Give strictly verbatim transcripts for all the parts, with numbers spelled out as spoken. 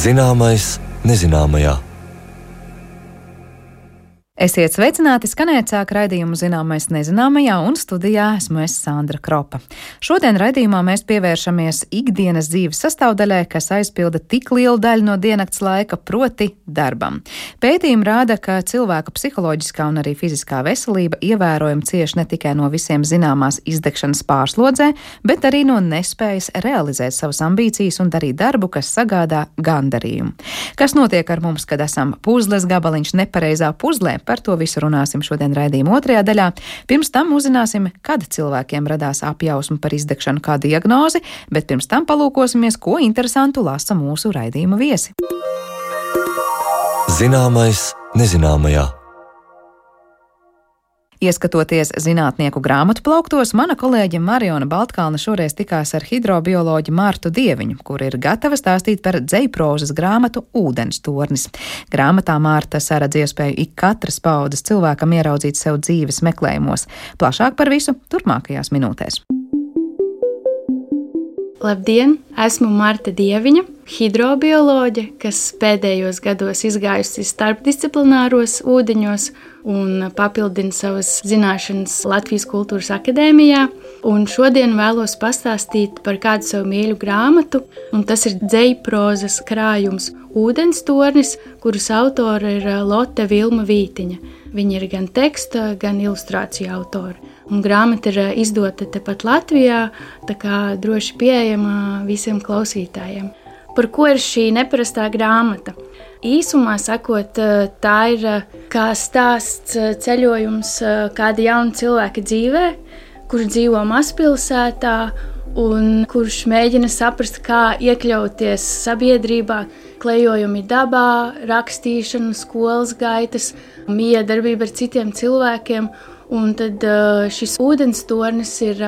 Zināmais nezināmajā. Esiet sveicināti, skanēt sāk raidījumu Zināmais nezināmajā, un studijā esmu es Sandra Kropa. Šodien raidījumā mēs pievēršamies ikdienas dzīves sastāvdaļai, kas aizpilda tik lielu daļu no diennakts laika, proti darbam. Pētījumi rāda, ka cilvēka psiholoģiskā un arī fiziskā veselība ievērojami cieš ne tikai no visiem zināmās izdegšanas pārslodzē, bet arī no nespējas realizēt savas ambīcijas un darīt darbu, kas sagādā gandarījumu. Kas notiek ar mums, kad esam puzles gabaliņš nepareizā puzlē? Par to visu runāsim šodien raidījuma otrajā daļā. Pirms tam uzzināsim, kad cilvēkiem radās apjausma par izdegšanu kā diagnozi, bet pirms tam palūkosimies, ko interesantu lasa mūsu raidījuma viesi. Zināmais nezināmajā. Ieskatoties zinātnieku grāmatu plauktos, mana kolēģe Mariona Baltkalna šoreiz tikās ar hidrobioloģi Martu Dieviņu, kur ir gatava stāstīt par dzejprozas grāmatu Ūdens tornis. Grāmatā Marta saredz iespēju ik katras paudzes cilvēkam ieraudzīt sev dzīves meklējumos. Plašāk par visu turpmākajās minūtēs. Labdien! Esmu Marta Dieviņa, hidrobioloģe, kas pēdējos gados izgājusi starpdisciplināros ūdeņos un papildina savas zināšanas Latvijas Kultūras akadēmijā. Un šodien vēlos pastāstīt par kādu savu mīļu grāmatu, un tas ir dzejprozas krājums Ūdens tornis, kuras autora ir Lotte Vilma Vītiņa. Viņa ir gan teksta, gan ilustrāciju autora. Un grāmata ir izdota tepat Latvijā, tā kā droši pieejama visiem klausītājiem. Par ko ir šī neparastā grāmata? Īsumā sakot, tā ir kā stāsts ceļojums kāda jauna cilvēka dzīvē, kurš dzīvo mazpilsētā un kurš mēģina saprast, kā iekļauties sabiedrībā, klejojumi dabā, rakstīšana, skolas gaitas, miedarbība ar citiem cilvēkiem. Un tad šis ūdens tornis ir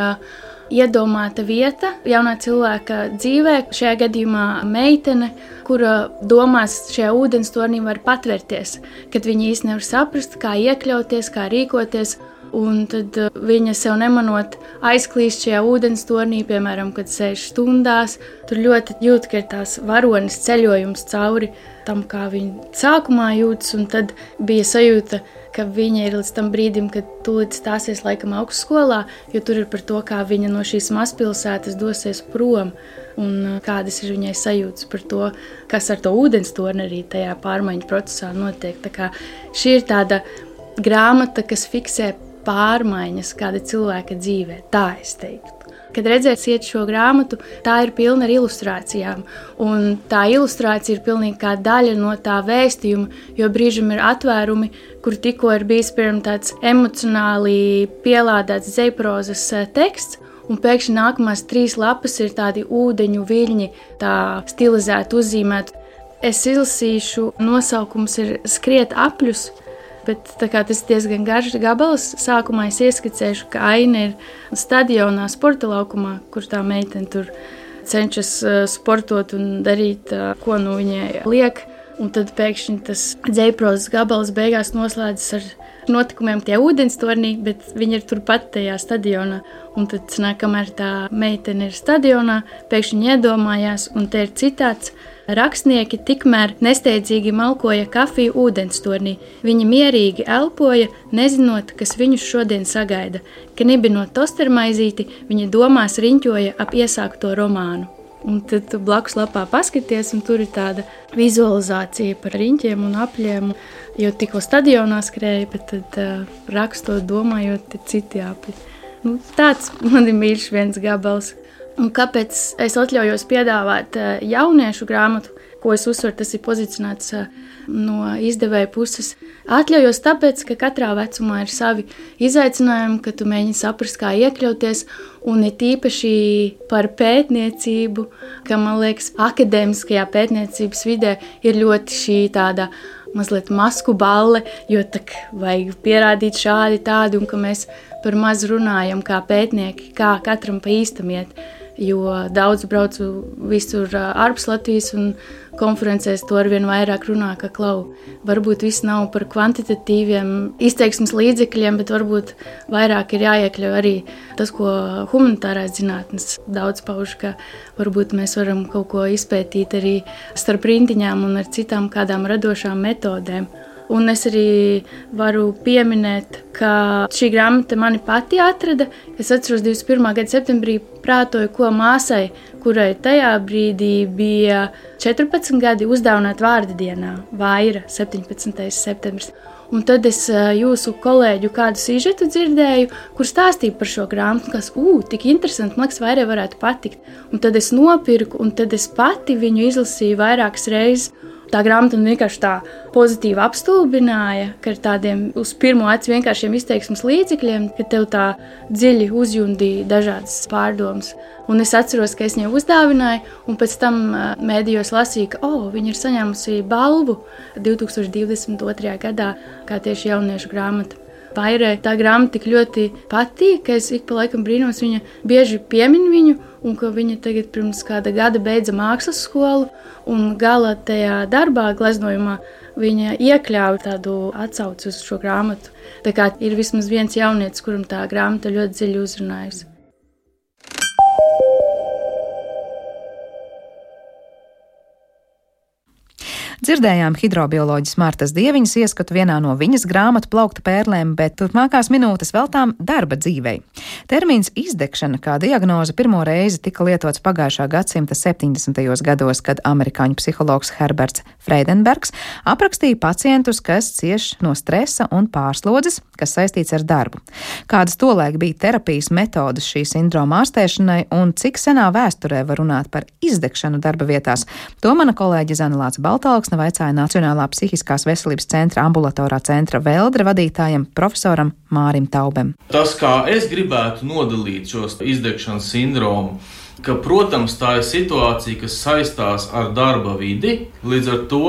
iedomāta vieta jaunā cilvēka dzīvē, šajā gadījumā meitene, kura domās šajā ūdens tornī var patvērties, kad viņa īsti nevar saprast, kā iekļauties, kā rīkoties. Un tad viņa sev nemanot aizklīst šajā ūdens tornī, piemēram, kad sēž stundās. Tur ļoti jūt, ka ir tās varonis ceļojums cauri tam, kā viņa sākumā jūtas, un tad bija sajūta, ka viņa ir līdz tam brīdim, kad tūlīt stāsies laikam augstskolā, jo tur ir par to, kā viņa no šīs mazpilsētas dosies prom, un kādas ir viņai sajūtas par to, kas ar to ūdens torni arī tajā pārmaiņu procesā notiek. Tā kā šī ir tāda grāmata, kas fiksē pārmaiņas kāda cilvēka dzīvē, tā es teiktu. Kad redzēsiet šo grāmatu, tā ir pilna ar ilustrācijām, un tā ilustrācija ir pilnīgi kā daļa no tā vēstījuma, jo brīžam ir atvērumi, kur tikko ir bijis piemēram tāds emocionāli pielādēts dzejprozas teksts, un pēkšņi nākamās trīs lapas ir tādi ūdeņu viļņi, tā stilizēti uzzīmēti. Es izlasīšu, nosaukums ir Skriet apļus, bet tā kā tas ir diezgan garš gabals, sākumā es ieskicēšu, ka aina ir stadionā, sporta laukumā, kur tā meitene tur cenšas sportot un darīt, ko nu viņai liek. Un tad pēkšņi tas dzejprozas gabals beigās noslēdzas ar notikumiem tie ūdens tornī, bet viņi ir turpat tajā stadionā. Un tad, kamēr tā meitene ir stadionā, pēkšņi iedomājās, un te ir citāts: rakstnieki tikmēr nesteidzīgi malkoja kafiju ūdens tornī. Viņi mierīgi elpoja, nezinot, kas viņus šodien sagaida. Knibinot tostermaizīti, viņi domās riņķoja ap iesākto romānu. Un tad tu blakus lapā paskaties, un tur ir tāda vizualizācija par riņķiem un apļiem, jo tikko stadionā skrēja, bet tad uh, rakstot, domājot, ir citi apļi. Nu, tāds man ir mīļš viens gabals. Un kāpēc es atļaujos piedāvāt uh, jauniešu grāmatu, ko es uzsveru, tas ir pozicionēts uh, no izdevēja puses. Atļaujos tāpēc, ka katrā vecumā ir savi izaicinājumi, ka tu mēģini saprast, kā iekļauties, un ir tīpaši par pētniecību, ka, man liekas, akadēmiskajā pētniecības vidē ir ļoti šī tāda mazliet masku balle, jo tak vajag pierādīt šādi tādi, un ka mēs par maz runājam kā pētnieki, kā katram pa īstam iet. jo daudz braucu visur ārpus Latvijas un konferencēs to arvien vairāk runā, ka klau, varbūt viss nav par kvantitatīviem izteiksmes līdzekļiem, bet varbūt vairāk ir jāiekļauj arī tas, ko humanitārās zinātnes daudz pauž, ka varbūt mēs varam kaut ko izpētīt arī starp rindiņām un ar citām kādām radošām metodēm. Un es arī varu pieminēt, ka šī grāmata mani pati atrada. Es atceros divdesmit pirmā gada septembrī prātoju, ko māsai, kurai tajā brīdī bija četrpadsmit gadi, uzdāvināt vārda dienā, Vaira, septiņpadsmitais septembris. Un tad es jūsu kolēģu kādu sižetu dzirdēju, kur stāstīja par šo grāmatu, kas, ū, tik interesanti, man liekas, Vairai varētu patikt. Un tad es nopirku, un tad es pati viņu izlasīju vairākas reizes. Tā grāmata vienkārši tā pozitīvi apstulbināja, ka ar tādiem uz pirmo acu vienkāršiem izteiksmes līdzekļiem, ka tev tā dziļi uzjundīja dažādas pārdomas. Un es atceros, ka es viņai uzdāvināju, un pēc tam mēdījos lasīju, ka oh, viņa ir saņēmusi balvu divtūkstoš divdesmit otrajā gadā, kā tieši jauniešu grāmata. Vairai tā grāmata tik ļoti patīk, ka es ik pa laikam brīnos, viņa bieži piemin viņu, un ka viņa tagad pirms kāda gada beidza mākslas skolu, un gala tajā darbā, gleznojumā, viņa iekļāva tādu atsauci uz šo grāmatu. Tā kā ir vismaz viens jaunietis, kuram tā grāmata ļoti dziļi uzrunājusi. Dzirdējām hidrobioloģijas Martas Dieviņas ieskatu vienā no viņas grāmatu plaukta pērlēm, bet turpmākās minūtes veltām darba dzīvei. Termins izdegšana kā diagnoze pirmo reizi tika lietots pagājušā gadsimta septiņdesmitajos gados, kad amerikāņu psihologs Herberts Freidenbergs aprakstīja pacientus, kas cieš no stresa un pārslodzes, kas saistīts ar darbu. Kādas tolaik bija terapijas metodas šī sindroma ārstēšanai un cik senā vēsturē var runāt par izdegšanu darba vietās, to mana kolēģe Zana Lāce Baltālksne vaicāja Nacionālā psihiskās veselības centra ambulatorā centra Veldre vadītājam profesoram Mārim Taubem. Tas, kā es gribētu nodalīt šos izdegšanas sindromu, ka, protams, tā ir situācija, kas saistās ar darba vidi, līdz ar to,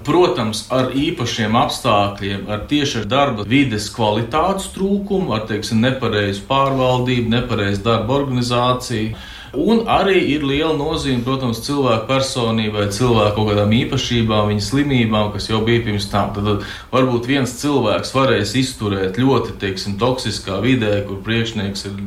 protams, ar īpašiem apstākļiem, ar tieši ar darba vides kvalitātes trūkumu, ar, teiksim, nepareizu pārvaldību, nepareizu darba organizāciju. Un arī ir liela nozīme, protams, cilvēku personībai, cilvēku kaut kādām īpašībām, viņa slimībām, kas jau bija pirms tam. Tad varbūt viens cilvēks varēs izturēt ļoti, teiksim, toksiskā vidē, kur priekšnieks ir,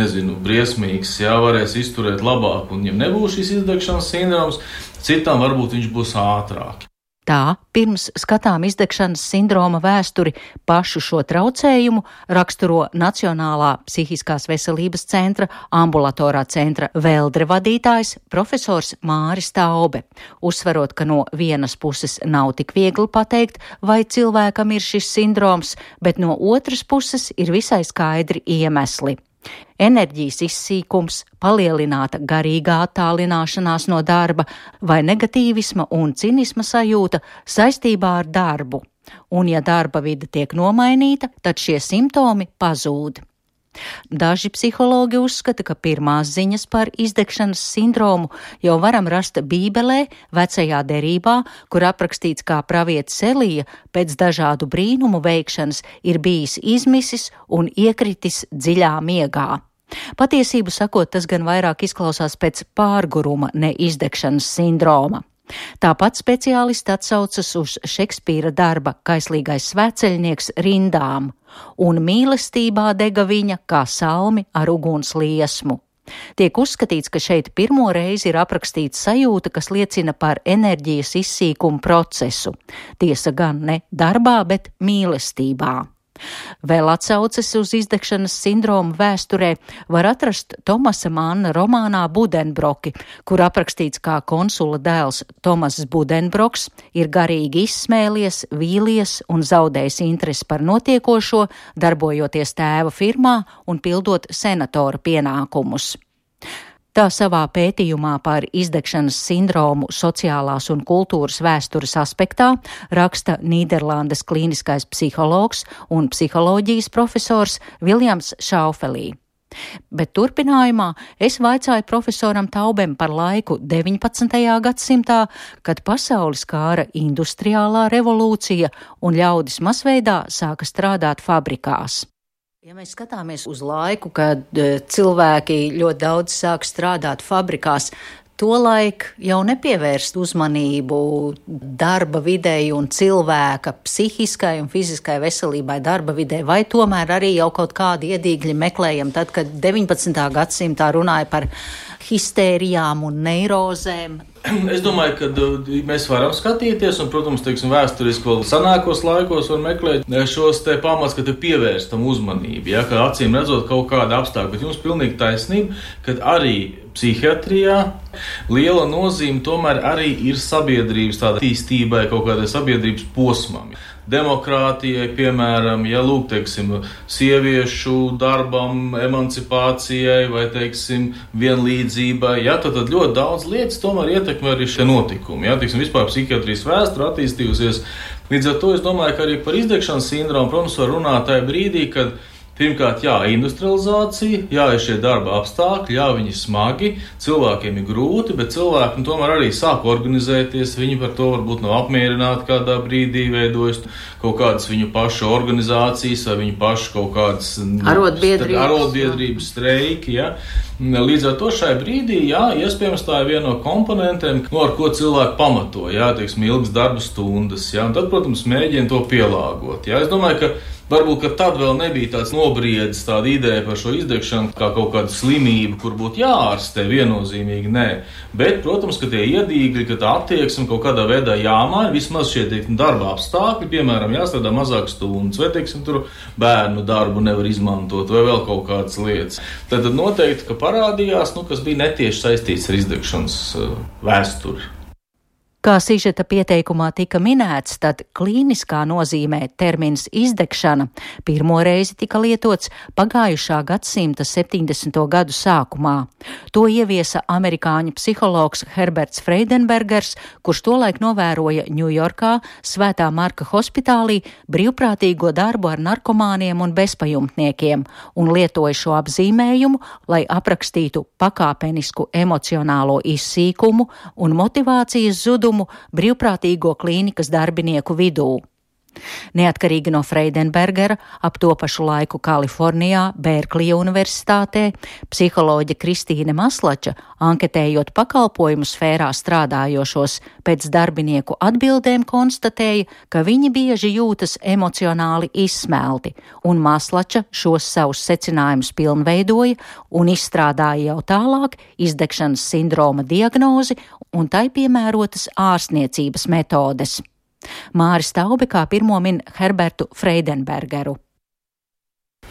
nezinu, briesmīgs, jā, varēs izturēt labāk, un ja nebūs šis izdegšanas sindroms, citam varbūt viņš būs ātrāk. Tā, pirms skatām izdegšanas sindroma vēsturi, pašu šo traucējumu raksturo Nacionālā psihiskās veselības centra ambulatorā centra Veldre vadītājs profesors Māris Taube, uzsverot, ka no vienas puses nav tik viegli pateikt, vai cilvēkam ir šis sindroms, bet no otras puses ir visai skaidri iemesli. Enerģijas izsīkums, palielināta garīgā attālināšanās no darba vai negatīvisma un cinisma sajūta saistībā ar darbu. Un ja darba vide tiek nomainīta, tad šie simptomi pazūd. Daži psihologi uzskata, ka pirmās ziņas par izdegšanas sindromu jau varam rast Bībelē, Vecajā derībā, kur aprakstīts, kā pravietis Elija pēc dažādu brīnumu veikšanas ir bijis izmisis un iekritis dziļā miegā. Patiesību sakot, tas gan vairāk izklausās pēc pārguruma, ne izdegšanas sindroma. Tāpat speciālisti atsaucas uz Šekspīra darba Kaislīgais svētceļnieks rindām, un mīlestībā dega viņa kā salmi ar uguns liesmu. Tiek uzskatīts, ka šeit pirmo reizi ir aprakstīta sajūta, kas liecina par enerģijas izsīkumu procesu. Tiesa gan ne darbā, bet mīlestībā. Vēl atsauces uz izdegšanas sindromu vēsturē var atrast Tomasa Manna romānā Budenbroki, kur aprakstīts, kā konsula dēls Tomass Budenbroks ir garīgi izsmēlies, vīlies un zaudējis interesi par notiekošo, darbojoties tēva firmā un pildot senatora pienākumus. Tā savā pētījumā par izdegšanas sindromu sociālās un kultūras vēstures aspektā raksta Nīderlandes klīniskais psihologs un psiholoģijas profesors Viljams Šaufelī. Bet turpinājumā es vaicāju profesoram Taubem par laiku deviņpadsmitajā gadsimtā, kad pasauli skāra industriālā revolūcija un ļaudis masveidā sāka strādāt fabrikās. Ja mēs skatāmies uz laiku, kad cilvēki ļoti daudz sāk strādāt fabrikās, tolaik jau nepievērst uzmanību darba videi un cilvēka psihiskai un fiziskai veselībai darba vidē, vai tomēr arī jau kaut kādi iedīgļi meklējam tad, kad deviņpadsmitā gadsimtā runāja par histērijām un neirozēm? Es domāju, ka mēs varam skatīties, un, protams, teiksim, vēsturiski vēl senākos laikos var meklēt šos te pamats, ka te pievērstam uzmanību, ja, ka acīm redzot kaut kāda apstākļa, bet jums pilnīgi taisnība, ka arī psihijatrijā liela nozīme tomēr arī ir sabiedrības tāda attīstībai, kaut kādai sabiedrības posmam. Demokrātijai, piemēram, ja lūk, teiksim, sieviešu darbam, emancipācijai vai, teiksim, vienlīdzībai, ja, tad, tad ļoti daudz lietas tomēr ietekmē arī šie notikumi, ja, teiksim, vispār psihiatrijas vēsture attīstījusies. Līdz ar to es domāju, ka arī par izdegšanas sindromu, protams, var runāt tajā brīdī, kad pirmkārt, jā, industrializācija, jā, ir šie darba apstākļi, jā, viņi smagi, cilvēkiem ir grūti, bet cilvēki tomēr arī sāk organizēties, viņi par to varbūt nav apmierināti kādā brīdī, veidojas kaut kādas viņu pašu organizācijas vai viņu pašu kaut kādas arotbiedrības, arotbiedrības streiki, jā. Līdz ar to šai brīdī, jā, iespējams tā ir viena no komponentiem, no ar ko cilvēki pamato, jā, teiksim, ilgas darba stundas, jā, un tad, protams, mēģina to pielāgot, jā. Es domāju, ka varbūt, ka tad vēl nebija tāds nobriedis, tāda ideja par šo izdegšanu kā kaut kādu slimību, kur būtu jāārstē, viennozīmīgi nē. Bet, protams, ka tie iedīgļi, ka tā attieksme kaut kādā veidā jāmaina, vismaz šie teiksim, darba apstākļi, piemēram, jāstrādā mazāk stundas, vai, teiksim, tur bērnu darbu nevar izmantot, vai vēl kaut kādas lietas. Tad, tad noteikti, ka parādījās, nu, kas bija netieši saistīts ar izdegšanas uh, vēsturi. Kā sižeta pieteikumā tika minēts, tad klīniskā nozīmē termins izdegšana pirmo reizi tika lietots pagājušā gadsimta septiņdesmito gadu sākumā. To ieviesa amerikāņu psihologs Herberts Freidenbergers, kurš tolaik novēroja Ņujorkā Svētā Marka hospitālī brīvprātīgo darbu ar narkomāniem un bezpajumtniekiem un lietoja šo apzīmējumu, lai aprakstītu pakāpenisku emocionālo izsīkumu un motivācijas zudumu brīvprātīgo klīnikas darbinieku vidū. Neatkarīgi no Freidenbergera, ap to pašu laiku Kalifornijā, Bērklija universitātē, psiholoģe Kristīne Maslača, anketējot pakalpojumu sfērā strādājošos, pēc darbinieku atbildēm konstatēja, ka viņi bieži jūtas emocionāli izsmelti, un Maslača šos savus secinājumus pilnveidoja un izstrādāja jau tālāk izdegšanas sindroma diagnozi un tai piemērotas ārstniecības metodes. Māris Taube kā pirmo min Herbertu Freidenbergeru.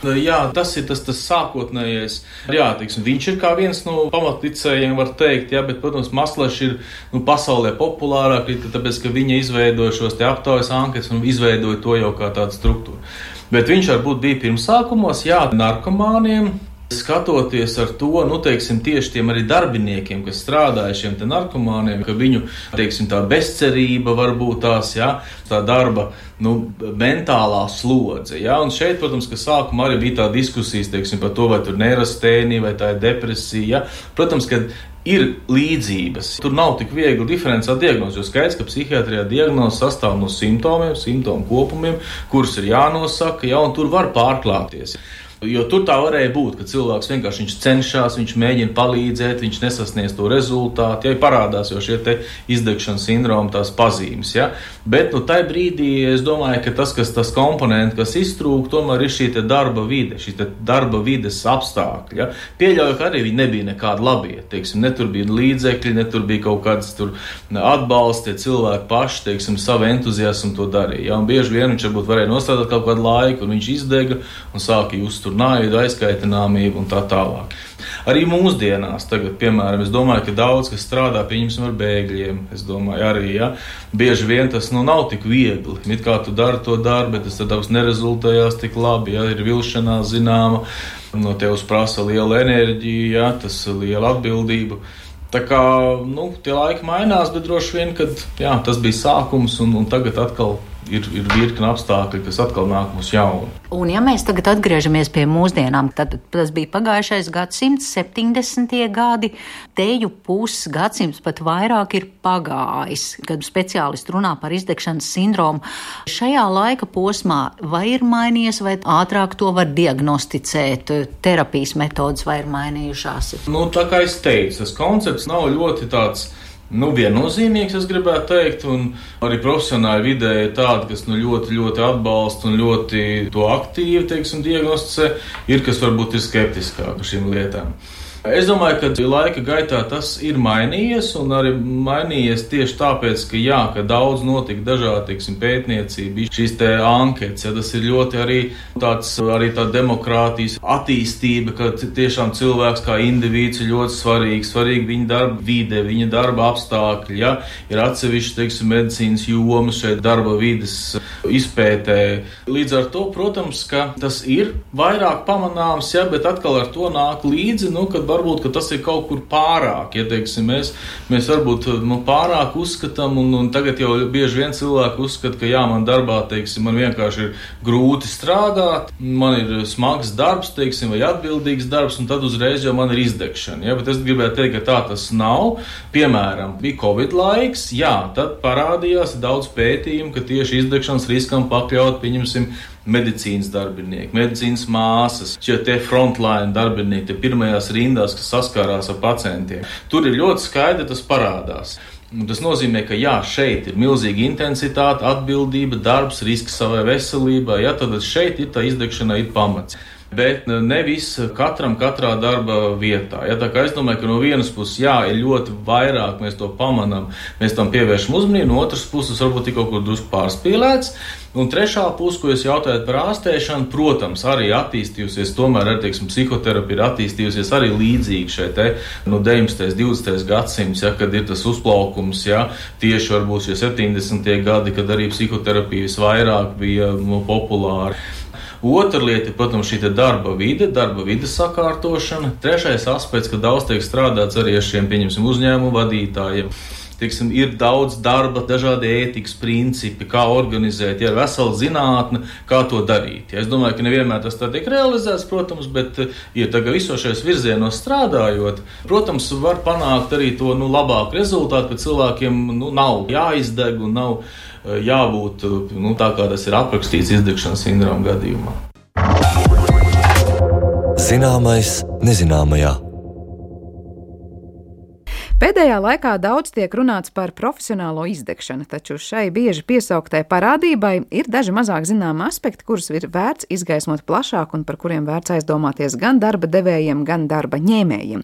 Jā, tas ir tas, tas sākotnējais. Jā, teiksim, viņš ir kā viens no pamatlicējiem, var teikt, jā, bet, protams, Maslačs ir nu, pasaulē populārāk, tāpēc, ka viņa izveidoja šos te aptaujas anketas un izveidoja to jau kā tādu struktūru. Bet viņš varbūt bija pirmsākumos, jā, narkomāniem. Skatoties ar to, nu, teiksim, tieši tiem arī darbiniekiem, kas strādāja šiem te narkomāniem, ka viņu, teiksim, tā bezcerība varbūt tās, jā, tā darba, nu, mentālā slodze, jā, un šeit, protams, ka sākumā arī bija tā diskusijas, teiksim, par to, vai tur neirastēnija, vai tā ir depresija, jā. Protams, ka ir līdzības. Tur nav tik viegli diferencēt diagnozi, jo skaidrs, ka psihiatrijā diagnoze sastāv no simptomiem, simptomu kopumiem, kurus ir jānosaka, jā, un tur var pārklāties. Jo tur tā varēja būt, ka cilvēks vienkārši viņš cenšas, viņš mēģina palīdzēt, viņš nesasniedz to rezultātu, ja parādās jau šie te izdegšanas sindroma tās pazīmes, ja. Bet, nu, tai brīdī es domāju, ka tas, kas tas komponenti, kas iztrūk, tomēr ir šī te darba vide, šī te darba vides apstākļi, ja. Pieļauju, ka arī viņi nebija nekādi labie, teiksim, ne tur bija līdzekļi, ne tur bija kaut kāds tur atbalsts, tie cilvēki paši, teiksim, savu entuziasmu to darīja, ja. Un bieži vien viņš varbūt varēja nostrādāt kaut kādu laiku, un viņš izdega un sāka just tur naidu, aizkaitināmību un tā tālāk. Arī mūsdienās tagad, piemēram, es domāju, ka daudz, kas strādā, pieņemsim ar bēgļiem, es domāju, arī, ja, bieži vien tas, nu, nav tik viegli. It kā tu dari to darbu, bet tas tad nerezultējās tik labi, ja, ir vilšanās zināma, no tevis prasa liela enerģija, ja, tas liela atbildība. Tā kā, nu, tie laiki mainās, bet droši vien, kad, jā, tas bija sākums un, un tagad atkal ir, ir virkni apstākļi, kas atkal nāk mums jauni. Un ja mēs tagad atgriežamies pie mūsdienām, tad tas bija pagājušais gadsimts, septiņdesmitie gadi, teju puses gadsimts pat vairāk ir pagājis, kad speciālisti runā par izdegšanas sindromu. Šajā laika posmā vai ir mainījies, vai ātrāk to var diagnosticēt, terapijas metodas vai ir mainījušās? Nu, tā kā es teicu, tas koncepts nav ļoti tāds Nu, viennozīmīgs, es gribētu teikt, un arī profesionāli vidē ir tādi, kas nu, ļoti, ļoti atbalsta un ļoti to aktīvi, teiksim, diagnosticē, ir, kas varbūt ir skeptiskāk par šīm lietām. Es domāju, ka laika gaitā tas ir mainījies, un arī mainījies tieši tāpēc, ka jā, ka daudz notika dažādi, teiksim, pētniecība, šīs te anketas, ja tas ir ļoti arī tāds, arī tā demokrātijas attīstība, ka tiešām cilvēks kā indivīds ir ļoti svarīgs, svarīgi viņa darba vide, viņa darba apstākļi, ja, ir atsevišķi, teiksim, medicīnas jomas šeit darba vides izpētē. Līdz ar to, protams, ka tas ir vairāk pamanāms, ja, bet atkal ar to nāk līdzi, nu, kad varbūt, ka tas ir kaut kur pārāk, ja teiksim, mēs, mēs varbūt nu, pārāk uzskatām, un, un tagad jau bieži vien cilvēki uzskata, ka jā, man darbā, teiksim, man vienkārši ir grūti strādāt, man ir smags darbs, teiksim, vai atbildīgs darbs, un tad uzreiz jau man ir izdegšana, ja, bet es gribētu teikt, ka tā tas nav. Piemēram, bija Covid laiks, jā, tad parādījās daudz pētījumu, ka tieši izdegšanas riskam pakļaut, pieņemsim, medicīnas darbinieki, medicīnas māsas, šie te frontline darbinieki, tie pirmajās rindās, kas saskārās ar pacientiem. Tur ir ļoti skaidri tas parādās. Un tas nozīmē, ka jā, šeit ir milzīga intensitāte, atbildība, darbs, risks savai veselībai, ja, tad šeit ir tā izdegšana, ir pamats. Bet nevis katram katrā darba vietā. Ja, tā kā es domāju, ka no vienas puses, jā, ir ļoti vairāk, mēs to pamanām, mēs tam pievēršam uzmanību, no otras puses varbūt ir kaut kur drusku pārspīlēts. Un trešā puse, ko jūs jautājat par ārstēšanu, protams, arī attīstījusies, tomēr, arī, teiksim, psihoterapija ir attīstījusies arī līdzīgi šeit, te, no deviņdesmitais, divdesmitais gadsimts, ja, kad ir tas uzplaukums, ja, tieši varbūt šie septiņdesmitie gadi, kad arī psihoterapija visvairāk bija no, populāra. Otra lieta ir, protams, šī darba vide, darba vides sakārtošana. Trešais aspekts, ka daudz tiek strādāts arī ar šiem, pieņemsim, uzņēmumu vadītājiem. Teiksim, ir daudz darba, dažādi ētikas principi, kā organizēt, ja ir vesela zinātne, kā to darīt. Ja, es domāju, ka nevienmēr tas tā tiek realizēts, protams, bet, ja tagad visos šajos virzienos strādājot, protams, var panākt arī to nu, labāku rezultātu, ka cilvēkiem nu, nav jāizdeg un nav jābūt nu, tā, kā tas ir aprakstīts izdegšanas sindroma gadījumā. Zināmais nezināmajā. Pēdējā laikā daudz tiek runāts par profesionālo izdegšanu, taču šai bieži piesauktai parādībai ir daži mazāk zināmi aspekti, kurus ir vērts izgaismot plašāk un par kuriem vērts aizdomāties gan darba devējiem, gan darba ņēmējiem.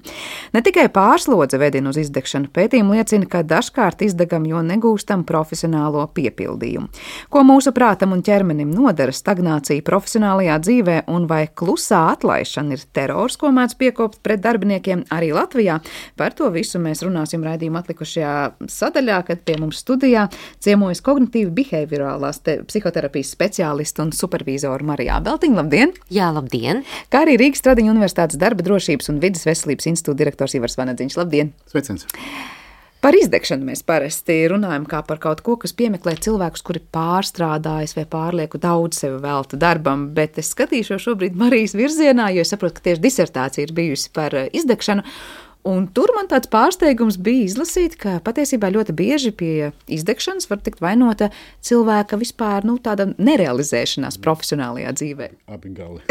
Ne tikai pārslodze vedina uz izdegšanu, pētījumi liecina, ka dažkārt izdegam, jo negūstam profesionālo piepildījumu. Ko mūsu prātam un ķermenim nodara stagnācija profesionālajā dzīvē un vai klusā atlaišana ir terors, ko mēdz piekopt pret darbiniekiem arī Latvijā? Par to visu mēs runāsim raidījuma atlikušajā sadaļā, kad pie mums studijā ciemojas kognitīvi behaviorālās psihoterapijas speciālistu un supervīzoru Marija Ābeltiņa. Labdien! Jā, labdien! Kā arī Rīgas Stradiņu Universitātes darba drošības un vides veselības institūta direktors Ivars Vanedziņš. Labdien! Sveiciens! Par izdegšanu mēs parasti runājam kā par kaut ko, kas piemeklē cilvēkus, kuri pārstrādājas vai pārlieku daudz sevi velta darbam, bet es skatīšos šobrīd Marijas virzienā, jo es saprotu, ka tieši disertācija ir bijusi par izdegšanu. Un tur man tāds pārsteigums bija izlasīt, ka patiesībā ļoti bieži pie izdegšanas var tikt vainota cilvēka vispār nu, tāda nerealizēšanās profesionālajā dzīvē. Abi gali.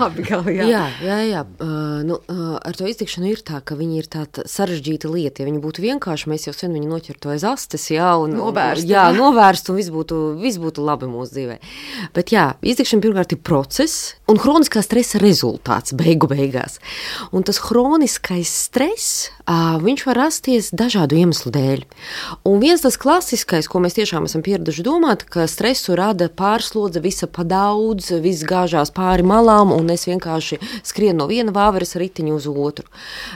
Abi gali, jā. Jā, jā, jā. Uh, nu, uh, ar to izdegšanu ir tā, ka viņi ir tāda sarežģīta lieta. Ja viņi būtu vienkārši, mēs jau sen viņu noķertu aiz astes, jā, un novērst, jā, novērst un viss būtu, viss būtu labi mūsu dzīvē. Bet jā, izdegšana pirmkārt ir process un hroniskā stresa rezultāts beigu beigās. Un tas hroniskais stress Uh, viņš var rasties dažādu iemeslu dēļ. Un viens tas klasiskais, ko mēs tiešām esam pieraduši domāt, ka stresu rada pārslodze, visa pa daudz, viss gāžās pāri malām un es vienkārši skrienu no viena vāveres ritiņu uz otru.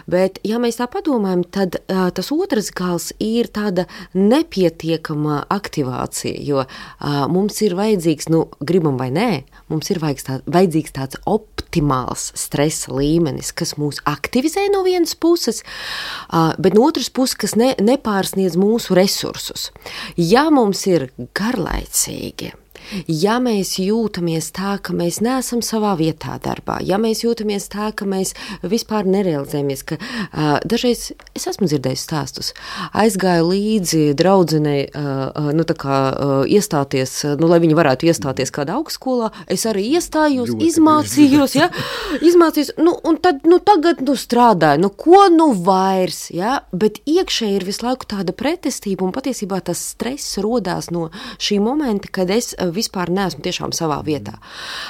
Bet, ja mēs tā padomājam, tad uh, tas otrs gals ir tāda nepietiekama aktivācija, jo uh, mums ir vajadzīgs, nu, gribam vai nē, mums ir tā, vajadzīgs tāds optimāls stresa līmenis, kas mūs aktivizē no vienas puses, Uh, bet no otras puses, kas ne, nepārsniedz mūsu resursus. Ja mums ir garlaicīgi Ja mēs jūtamies tā, ka mēs neesam savā vietā darbā, ja mēs jūtamies tā, ka mēs vispār nerealizējamies, ka uh, dažreiz es esmu dzirdējis stāstus, aizgāju līdzi draudzenei, uh, nu tā kā uh, iestāties, nu lai viņi varētu iestāties kādā augstskolā, es arī iestājos, ļoti izmācījos, ja, izmācījos, nu un tad, nu tagad, nu strādāju, nu ko nu vairs, ja, bet iekšēji ir visu laiku tāda pretestība un patiesībā tas stress rodās no šī momenta, kad es vispār neesmu tiešām savā vietā.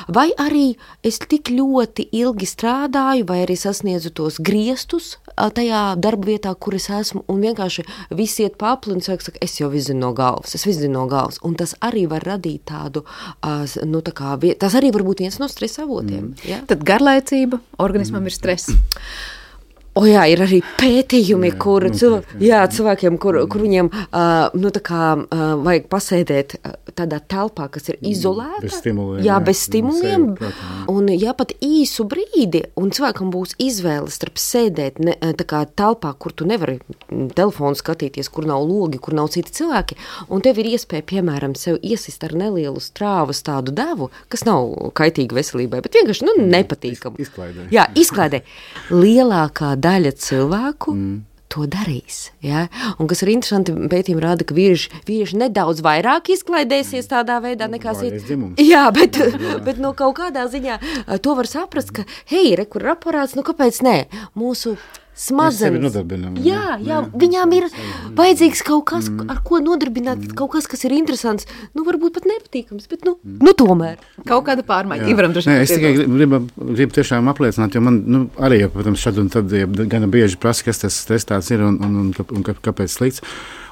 Vai arī es tik ļoti ilgi strādāju, vai arī sasniedzu tos griestus tajā darba vietā, kur es esmu, un vienkārši visi iet pa apli un saka, es jau visu zinu no galvas, es visu zinu no galvas, un tas arī var radīt tādu, nu tā kā, tas arī var būt viens no stresa avotiem. Mm. Ja? Tad garlaicība, organismam mm. ir stress. O jā, ir arī pētījumi, jā, kur cilvē, jā, cilvēkiem, kur, kur viņiem uh, nu, tā kā, uh, vajag pasēdēt uh, tādā telpā, kas ir izolēta. Bez stimuliem. Jā, bez stimuliem. Un jā, pat īsu brīdi, un cilvēkam būs izvēle starp sēdēt ne, tā kā telpā, kur tu nevari telefonu skatīties, kur nav logi, kur nav citi cilvēki, un tev ir iespēja, piemēram, sev iesist ar nelielu strāvas tādu devu, kas nav kaitīga veselībai, bet vienkārši, nu, nepatīkam. Izklaidē. Jā, izklaidē. Lielākā daļa cilvēku mm. to darīs. Ja? Un kas ir interesanti, pētījumi rāda, ka vīrieši, vīrieši nedaudz vairāk izklaidēsies tādā veidā nekā sievietes. Jā, bet, bet no kaut kādā ziņā to var saprast, ka hei, re, kur ir aparāts, nu kāpēc nē? Mūsu smadzenes. Jā, jā, viņām ir vajadzīgs kaut kas, mm. ar ko nodarbināt, mm. kaut kas, kas ir interesants, nu varbūt pat nepatīkams, bet nu, mm. nu tomēr. Kaut kāda pārmaiņa. Ivaram, Nē, es tikai gribu, gribu tiešām apliecināt, jo man, nu, arī, protams, šad un tad ja, gan bieži prasa, kas tas stress tāds ir un, un, un, un, un kāpēc slikts.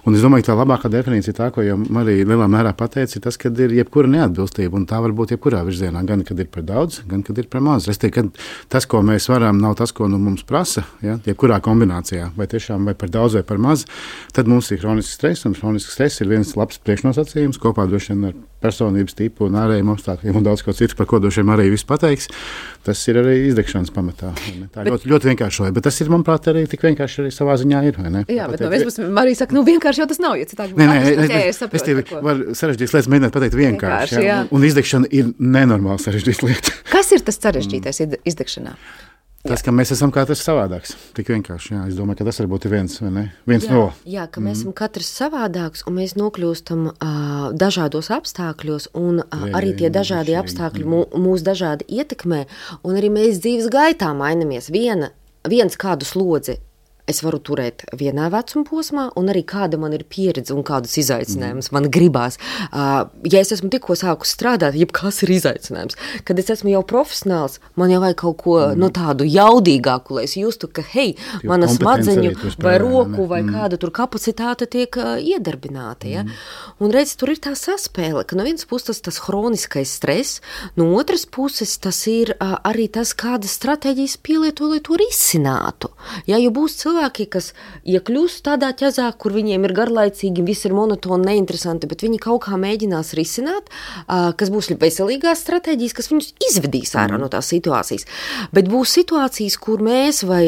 Un es domāju, ka tā labākā definīcija tā, ko jau Marija lielā mērā pateica, ir tas, kad ir jebkura neatbilstība, un tā var būt jebkurā virzienā, gan kad ir par daudz, gan kad ir par maz. Es teiktu, ka tas, ko mēs varam, nav tas, ko nu mums prasa, ja, jebkurā kombinācijā, vai tiešām vai par daudz vai par maz, tad mums ir hronisks stress, un hronisks stress ir viens labs priekšnosacījums, kopā droši vien ar personības tipu un ārējiem apstākļiem un daudz ko citu, par ko droši vien arī viss pateiks. Tas ir arī izdegšanas pamatā. Tā bet, ļoti, ļoti vienkāršoja, bet tas ir, manuprāt, arī tik vienkārši arī savā ziņā ir, vai ne? Jā, bet no vienas puses Marija saka, nu vienkārši jau tas nav, ja citādi. Nē, nē, es, es, es tevi varu sarežģītas lietas mēģināt pateikt vienkārši, vienkārši jā. Jā. Un izdegšana ir nenormāli sarežģīta lieta. Kas ir tas sarežģītais mm. izdegšanā? Tas, ka mēs esam katrs savādāks, tik vienkārši, jā, es domāju, ka tas varbūt ir viens, vai ne? Viens jā, no. Jā, ka mēs mm. esam katrs savādāks, un mēs nokļūstam uh, dažādos apstākļos, un uh, arī tie dažādi apstākļi mū, mūs dažādi ietekmē, un arī mēs dzīves gaitā mainamies. Viena, viens kādu slodzi es varu turēt vienā vecuma posmā, un arī kāda man ir pieredze un kādus izaicinājumus mm. man gribās. Uh, ja es esmu tikko sākus strādāt, jebkas ir izaicinājums. Kad es esmu jau profesionāls, man jau vajag kaut ko mm. no tādu jaudīgāku, lai es justu, ka hei, jo mana smadzeņu vai roku vai mm. kāda tur kapacitāte tiek uh, iedarbināta. Ja? Mm. Un redz, tur ir tā saspēle, ka no vienas puses tas, tas hroniskais stress, no otras puses tas ir uh, arī tas, kādas stratēģijas pielieto, lai to risinātu. Ja, jo būs cilvēki, kas iekļūst tādā ķezā, kur viņiem ir garlaicīgi, viss ir monotoni, neinteresanti, bet viņi kaut kā mēģinās risināt, kas būs veselīgās stratēģijas, kas viņus izvedīs ārā no tās situācijas. Bet būs situācijas, kur mēs vai,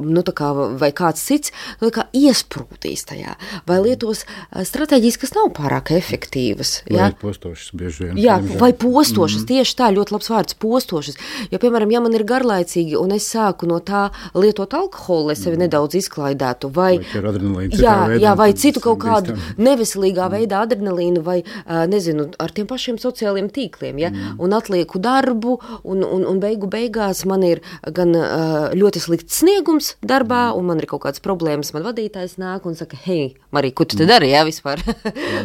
nu, tā kā, vai kāds cits nu, tā kā iesprūtīs tajā, vai lietos stratēģijas, kas nav pārāk efektīvas. Vai ja? postošas bieži vien. Jā, vai postošas, mm. tieši tā, ļoti labs vārds, postošas. Jo, piemēram, ja man ir garlaicīgi un es sāku no tā lietot alkoholu, lai sevi mm. nedaudz izklaidētu, vai, vai, jā, jā, vai citu kaut kādu neveselīgā mm. veidā adrenalīnu, vai, nezinu, ar tiem pašiem sociāliem tīkliem, ja, mm. un atlieku darbu, un, un, un beigu beigās man ir gan ļoti slikts sniegums darbā, mm. un man ir kaut kādas problēmas, man vadītājs nāk un saka, hei, Marija, ko tu te dari, jā, vispār?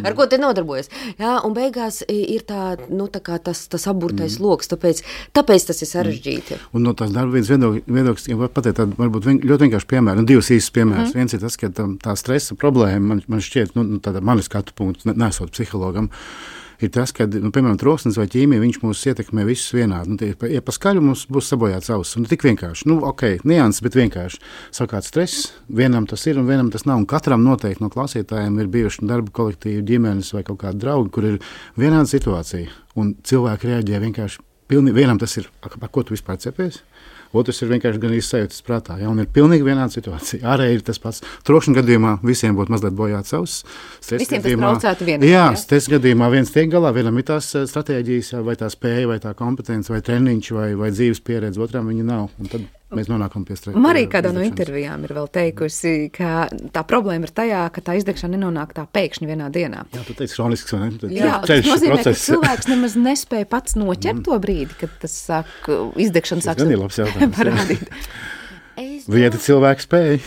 Ar ko te nodarbojas? Jā, un beigās ir tā, nu, tā kā tas, tas aburtais mm. loks, tāpēc, tāpēc tas ir sarežģīti. Mm. Un no tās darba viens viedoklis, ja var pateikt tādu, varbūt vien, ļoti vienkārši piemēru, un divas īstas piemēras. Mm. Viens ir tas, ka tā, tā stresa problēma, man, man šķiet, nu, tāda manis skatu punkts, nesot psihologam, ir tas, ka, nu, piemēram, troksnis vai ķīmija, viņš mūs ietekmē visus vienādi. Nu, tie, ja pa skaļu mums būs sabojāts auss, un tik vienkārši, nu, ok, nianses, bet vienkārši. Savukārt stress, vienam tas ir un vienam tas nav, un katram noteikti no klausītājiem ir bijuši darba kolektīvi, ģimenes vai kaut kādi draugi, kur ir vienāda situācija, un cilvēki reaģē vienkārši pilnīgi, vienam tas ir, par ko tu vispār cepies, otrs ir vienkārši gan izsajūtas prātā. Ja? Un ir pilnīgi vienāda situācija. Ārēji ir tas pats. Trokšņa gadījumā visiem būtu mazliet bojāts savs. Visiem tas traucētu vienā. Jā, stresa gadījumā viens tiek galā, vienam ir tās stratēģijas, vai tā spēja, vai tā kompetence, vai treniņš, vai, vai dzīves pieredze, otram viņa nav. Un tad mēs nonākam pie stresa. Marija kādā no intervijām ir vēl teikusi, ka tā problēma ir tajā, ka tā izdegšana nenonāk tā pēkšņi vienā dienā. Jā, tu teici hronisks, vai ne? Tad Jā, tas nozīmē, process. Ka cilvēks nemaz nespēja pats noķert to brīdi, kad tas sāk, izdegšana sāk parādīt. Vieta cilvēku spēja.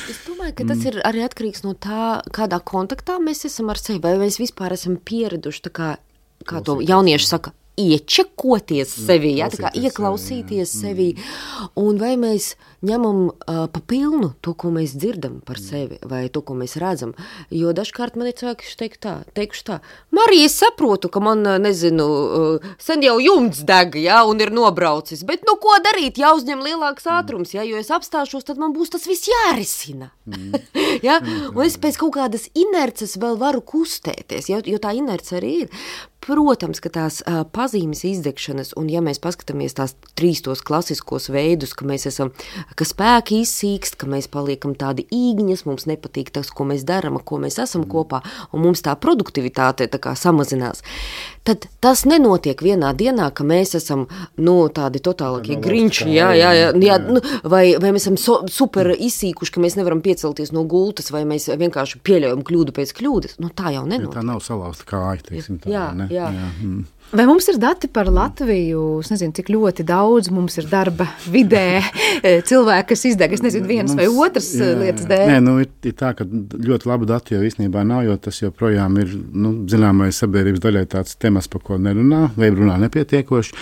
Es domāju, ka tas ir arī atkarīgs no tā, kādā kontaktā mēs esam ar sevi, vai mēs vispār esam pieraduši, tā kā, kā to jaunieši saka, iečekoties sevi, ja, tā kā ieklausīties sevi, un vai mēs ņemam uh, pa pilnu to, ko mēs dzirdam par sevi, vai to, ko mēs redzam, jo dažkārt man ir cilvēki teikt tā, teikuši tā, Marija, es saprotu, ka man, nezinu, uh, sen jau jumts deg, ja, un ir nobraucis, bet nu ko darīt, jāuzņem lielāks ātrums, ja, jo es apstāšos, tad man būs tas viss jārisina, mm. ja, un es pēc kaut kādas inerces vēl varu kustēties, ja, jo tā inerce arī ir. Protams, ka tās uh, pazīmes izdegšanas, un ja mēs paskatāmies tās trīs tos klasiskos veidus, ka mēs esam, ka spēki izsīkst, ka mēs paliekam tādi īgņas, mums nepatīk tas, ko mēs daram, ko mēs esam kopā, un mums tā produktivitāte tā kā samazinās, tad tas nenotiek vienā dienā, ka mēs esam, nu, tādi totālākie grinči, jā, jā, jā, jā, nu, vai, vai mēs esam so, super izsīkuši, ka mēs nevaram piecelties no gultas, vai mēs vienkārši pieļaujam kļūdu pēc kļūdas, nu, tā jau nenotiek. Tā nav salausta kāja, teiksim tā, jā, ne? Jā. Jā. Mm. Vai mums ir dati par Latviju? Es nezinu, cik ļoti daudz mums ir darba vidē cilvēki, kas izdeg, es nezinu, vienas mums, vai otras jā, lietas dēļ. Nē, nu ir, ir tā, ka ļoti labu datu jau īstenībā nav, jo tas joprojām ir, nu, zināmais sabiedrības daļai tāds temats, par ko nerunā, vai runā nepietiekoši.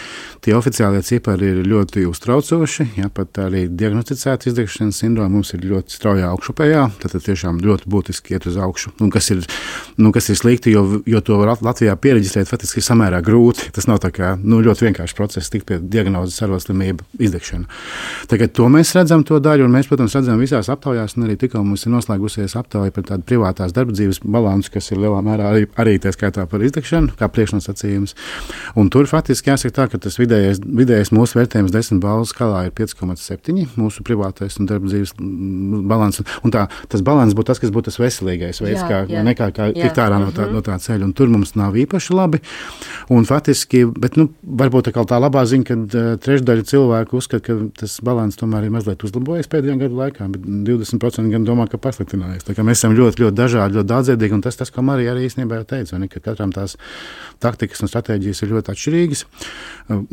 Tie oficiālie cipari ir ļoti uztraucoši, ja pat arī diagnosticēta izdegšanas sindroma mums ir ļoti straujā augšupējā, tad tiešām ļoti būtiski iet uz augšu. Un kas ir, nu, kas ir slikti, jo, jo to Latvijā piereģistrēt faktiski ir samērā grūti. Tas nav tā kā, nu, ļoti vienkārši process tik pie diagnozes arodslimība izdegšana. Tagad to mēs redzam to daļu, un mēs, protams, redzam visās aptaujās, un arī tikko mums ir noslēgusies aptauja par tādu privātās darba dzīves balansu, kas ir lielā mērā arī, arī tā skaitā par izdegšanu, kā priekšnosacījums. Un tur faktiski jāsaka tā, ka tas vidējais, vidējais mūsu vērtējums desmit balvu skalā ir pieci komats septiņi, mūsu privātais un darba dzīves balans. Un tā, tas balans būtu tas, kas būtu tas veselīgais veids, kā, nekā kā tikt ārā no tā, no tā ceļa. Un tur mums nav īpaši labi. Un faktiski, bet, nu, varbūt tā, tā labā ziņa, ka uh, trešdaļa cilvēku uzskata, ka tas balans tomēr ir mazliet uzlabojies pēdējā gadu laikā, bet divdesmit procenti gan domā, ka pasliktinājies. Tā kā mēs esam ļoti, ļoti dažādi, ļoti daudzveidīgi, un tas, tas, ko Marija arī īstenībā jau teica, ne, ka katram tās taktikas un stratēģijas ir ļoti atšķirīgas,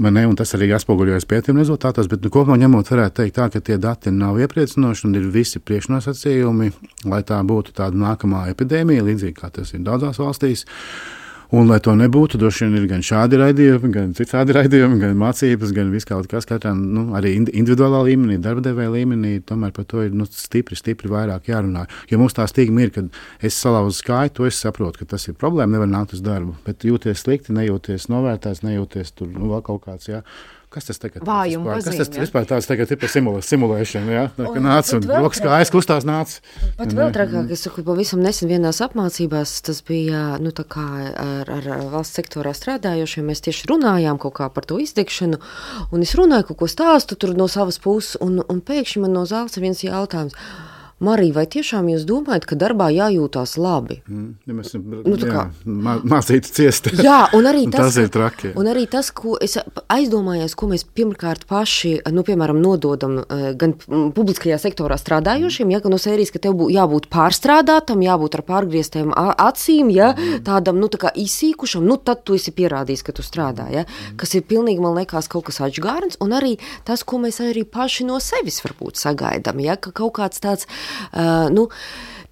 ne, un tas arī atspoguļojas pētījuma rezultātos, bet nu, kopumā ņemot varētu teikt tā, ka tie dati nav iepriecinoši un ir visi priekšnosacījumi, lai tā būtu tāda nākamā epidēmija, līdzīgi kā tas ir daudzās valstīs. Un, lai to nebūtu, droši vien ir gan šādi raidījumi, gan citādi raidījumi, gan mācības, gan viss kaut kas katram, nu, arī individuālā līmenī, darba devēja līmenī, tomēr par to ir nu, stipri, stipri vairāk jārunā. Jo mums tā stigma ir, kad es salauzu skāju, to es saprotu, ka tas ir problēma, nevar nākt uz darbu, bet jūties slikti, nejūties novērtēts, nejūties tur, nu, vēl kaut kāds, jā. Kas tas tagad Vājuma vispār, pazīme, kas tas ja? vispār tāds tagad ir par simulē, simulēšanu, jā? Tā, ka nāc un rokas kājas kustās nāc. Pat vēl trakāk, es saku, pavisam nesen vienās apmācībās, tas bija, nu, tā kā ar, ar valsts sektorā strādājošiem, mēs tieši runājām kaut kā par to izdegšanu, un es runāju kaut ko stāstu tur no savas puses, un, un pēkšņi man no zāles viens jautājums. Marija, vai tiešām jūs domājat, ka darbā jājūtās labi? Mm, ja mēs nu, jā, mā, mācītu ciest. Jā, un arī tas, tas ir traki. Un arī tas, ko es aizdomājos, ko mēs pirmkārt paši, nu, piemēram, nododam gan publiskajā sektorā strādājošiem, ja, no sērijas, ka tev bū, jābūt pārstrādātam, jābūt ar pārgrieztiem acīm, ja, tādam, nu, tā kā izsīkušam, nu, tad tu esi pierādījis, ka tu strādā, ja, kas ir pilnīgi, man liekas, kaut kas atžgārns, un arī tas, ko mēs arī paši no sevis varbūt sagaidām, ja, ka kaut kāds tāds Uh, nu,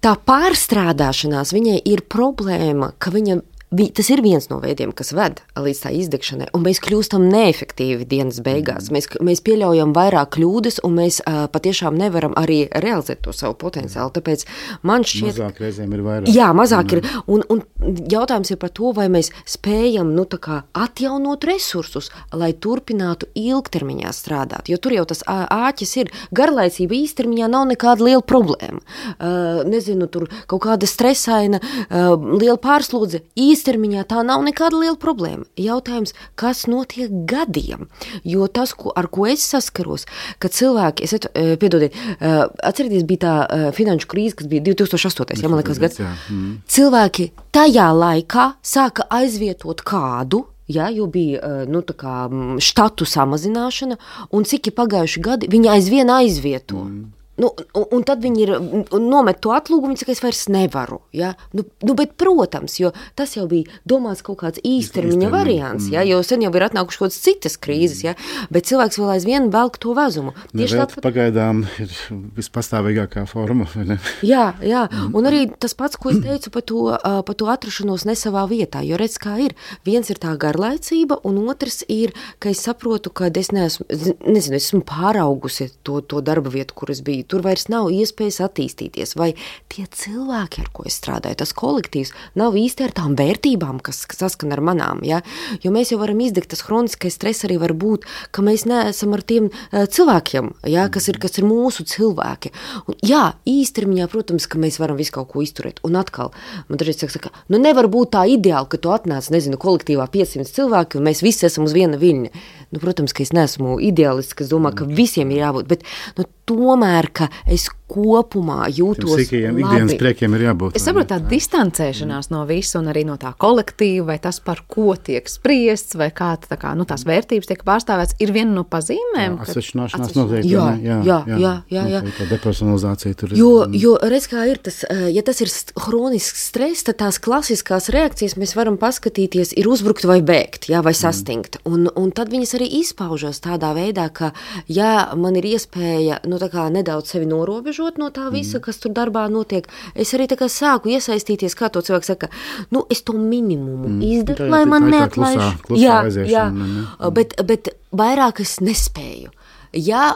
tā pārstrādāšanās viņai ir problēma, ka viņa, vi, tas ir viens no veidiem, kas ved līdz tā izdegšanai, un mēs kļūstam neefektīvi dienas beigās. Mēs, mēs pieļaujam vairāk kļūdas, un mēs uh, patiešām nevaram arī realizēt to savu potenciālu. Tāpēc man šķiet... Mazāk reizēm ir vairāk. Jā, mazāk ir. Un, un jautājums ir par to, vai mēs spējam, nu, tā kā atjaunot resursus, lai turpinātu ilgtermiņā strādāt. Jo tur jau tas āķis ir. Garlaicība īstermiņā nav nekāda liela problēma. Uh, nezinu, tur kaut kāda stresaina, uh, liela pārslodze. Īs īstermiņā tā nav nekāda liela problēma. Jautājums, kas notiek gadiem? Jo tas, ko, ar ko es saskaros, ka cilvēki, es at, piedodiet, atcerieties, bija tā finanšu krīze, kas bija divi tūkstoši astotais, ja man liekas gads. Mm. Cilvēki tajā laikā sāka aizvietot kādu, ja, jo bija nu, tā kā štatu samazināšana, un cik ir pagājuši gadi, viņi aizvien aizvieto. Mm. Nu, un, un tad viņi ir nomet to atlūgumu, viņi saka, es vairs nevaru. Ja? Nu, nu, bet, protams, jo tas jau bija domāts kaut kāds īstermiņa variants, ja? Jo sen jau ir atnākuši kaut kādas citas krīzes, ja? Bet cilvēks vēl aizvien velk to vezumu. Tieši tāpat pagaidām ir vispastāvīgākā forma. Vai ne? Jā, jā, un arī tas pats, ko es teicu par to, par to atrašanos ne savā vietā, jo redz, kā ir. Viens ir tā garlaicība, un otrs ir, ka es saprotu, ka es neesmu, nezinu, esmu pāraugusi to, to darba vietu, kur es biju. Tur vairs nav iespējas attīstīties, vai tie cilvēki, ar ko es strādāju, tas kolektīvs, nav īsti ar tām vērtībām, kas saskan ar manām, ja? Jo mēs jau varam izdegt, tas hroniskais stress arī var būt, ka mēs neesam ar tiem uh, cilvēkiem, ja? kas, ir, kas ir mūsu cilvēki. Un, jā, īstermiņā, protams, ka mēs varam visu kaut ko izturēt, un atkal, man dažreiz saka, nu nevar būt tā ideāli, ka tu atnāc, nezinu, kolektīvā piecsimt cilvēki, un mēs visi esam uz viena viļņa. Nu, protams, ka es neesmu ideālists, kas domā, ka visiem ir jābūt, bet nu, tomēr, ka es kopumā jūtos Sīkajiem, labi. Ikdienas priekiem ir jābūt. Es saprotu, tā distancēšanās no visu un arī no tā kolektīva, vai tas, par ko tiek spriests, vai kā, tā kā nu, tās vērtības tiek pārstāvēts, ir viena no pazīmēm. Atsevišķināšanās noteikti. Jā, jā, jā, jā, jā, jā. Tā depersonalizācija tur ir. Jo, jo, redz, kā ir tas, ja tas ir hronisks stress, tad tās klasiskās reakcijas mēs varam paskatīties, ir uzbrukt vai bēgt, jā, vai sastingt. Un, un tad viņas arī izpaužas tādā veidā, ka, ja man ir iespēja, nu, tā kā nedaudz sevi norobežot no tā visa, kas tur darbā notiek, es arī tā kā sāku iesaistīties, kā to cilvēks saka, nu, es to minimumu mm. izdaru, lai man neatlaiž. Jā, jā, bet, bet vairāk es nespēju. Ja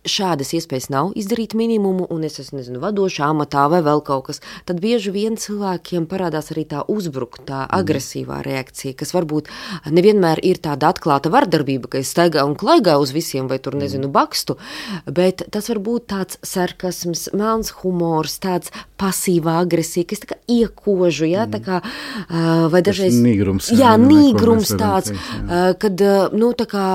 šādas iespējas nav izdarīt minimumu, un es esmu, nezinu, vadošā amatā vai vēl kaut kas, tad bieži vien cilvēkiem parādās arī tā uzbruktā, agresīvā reakcija, kas varbūt nevienmēr ir tāda atklāta vardarbība, ka es staigā un klaigā uz visiem, vai tur, nezinu, bakstu, bet tas var būt tāds sarkasms, melns humors, tāds pasīvā agresija, kas tā kā iekožu, ja, tā kā, vai dažreiz... Tas nīgrums. Jā, nīgrums tāds, kad, nu, tā kā,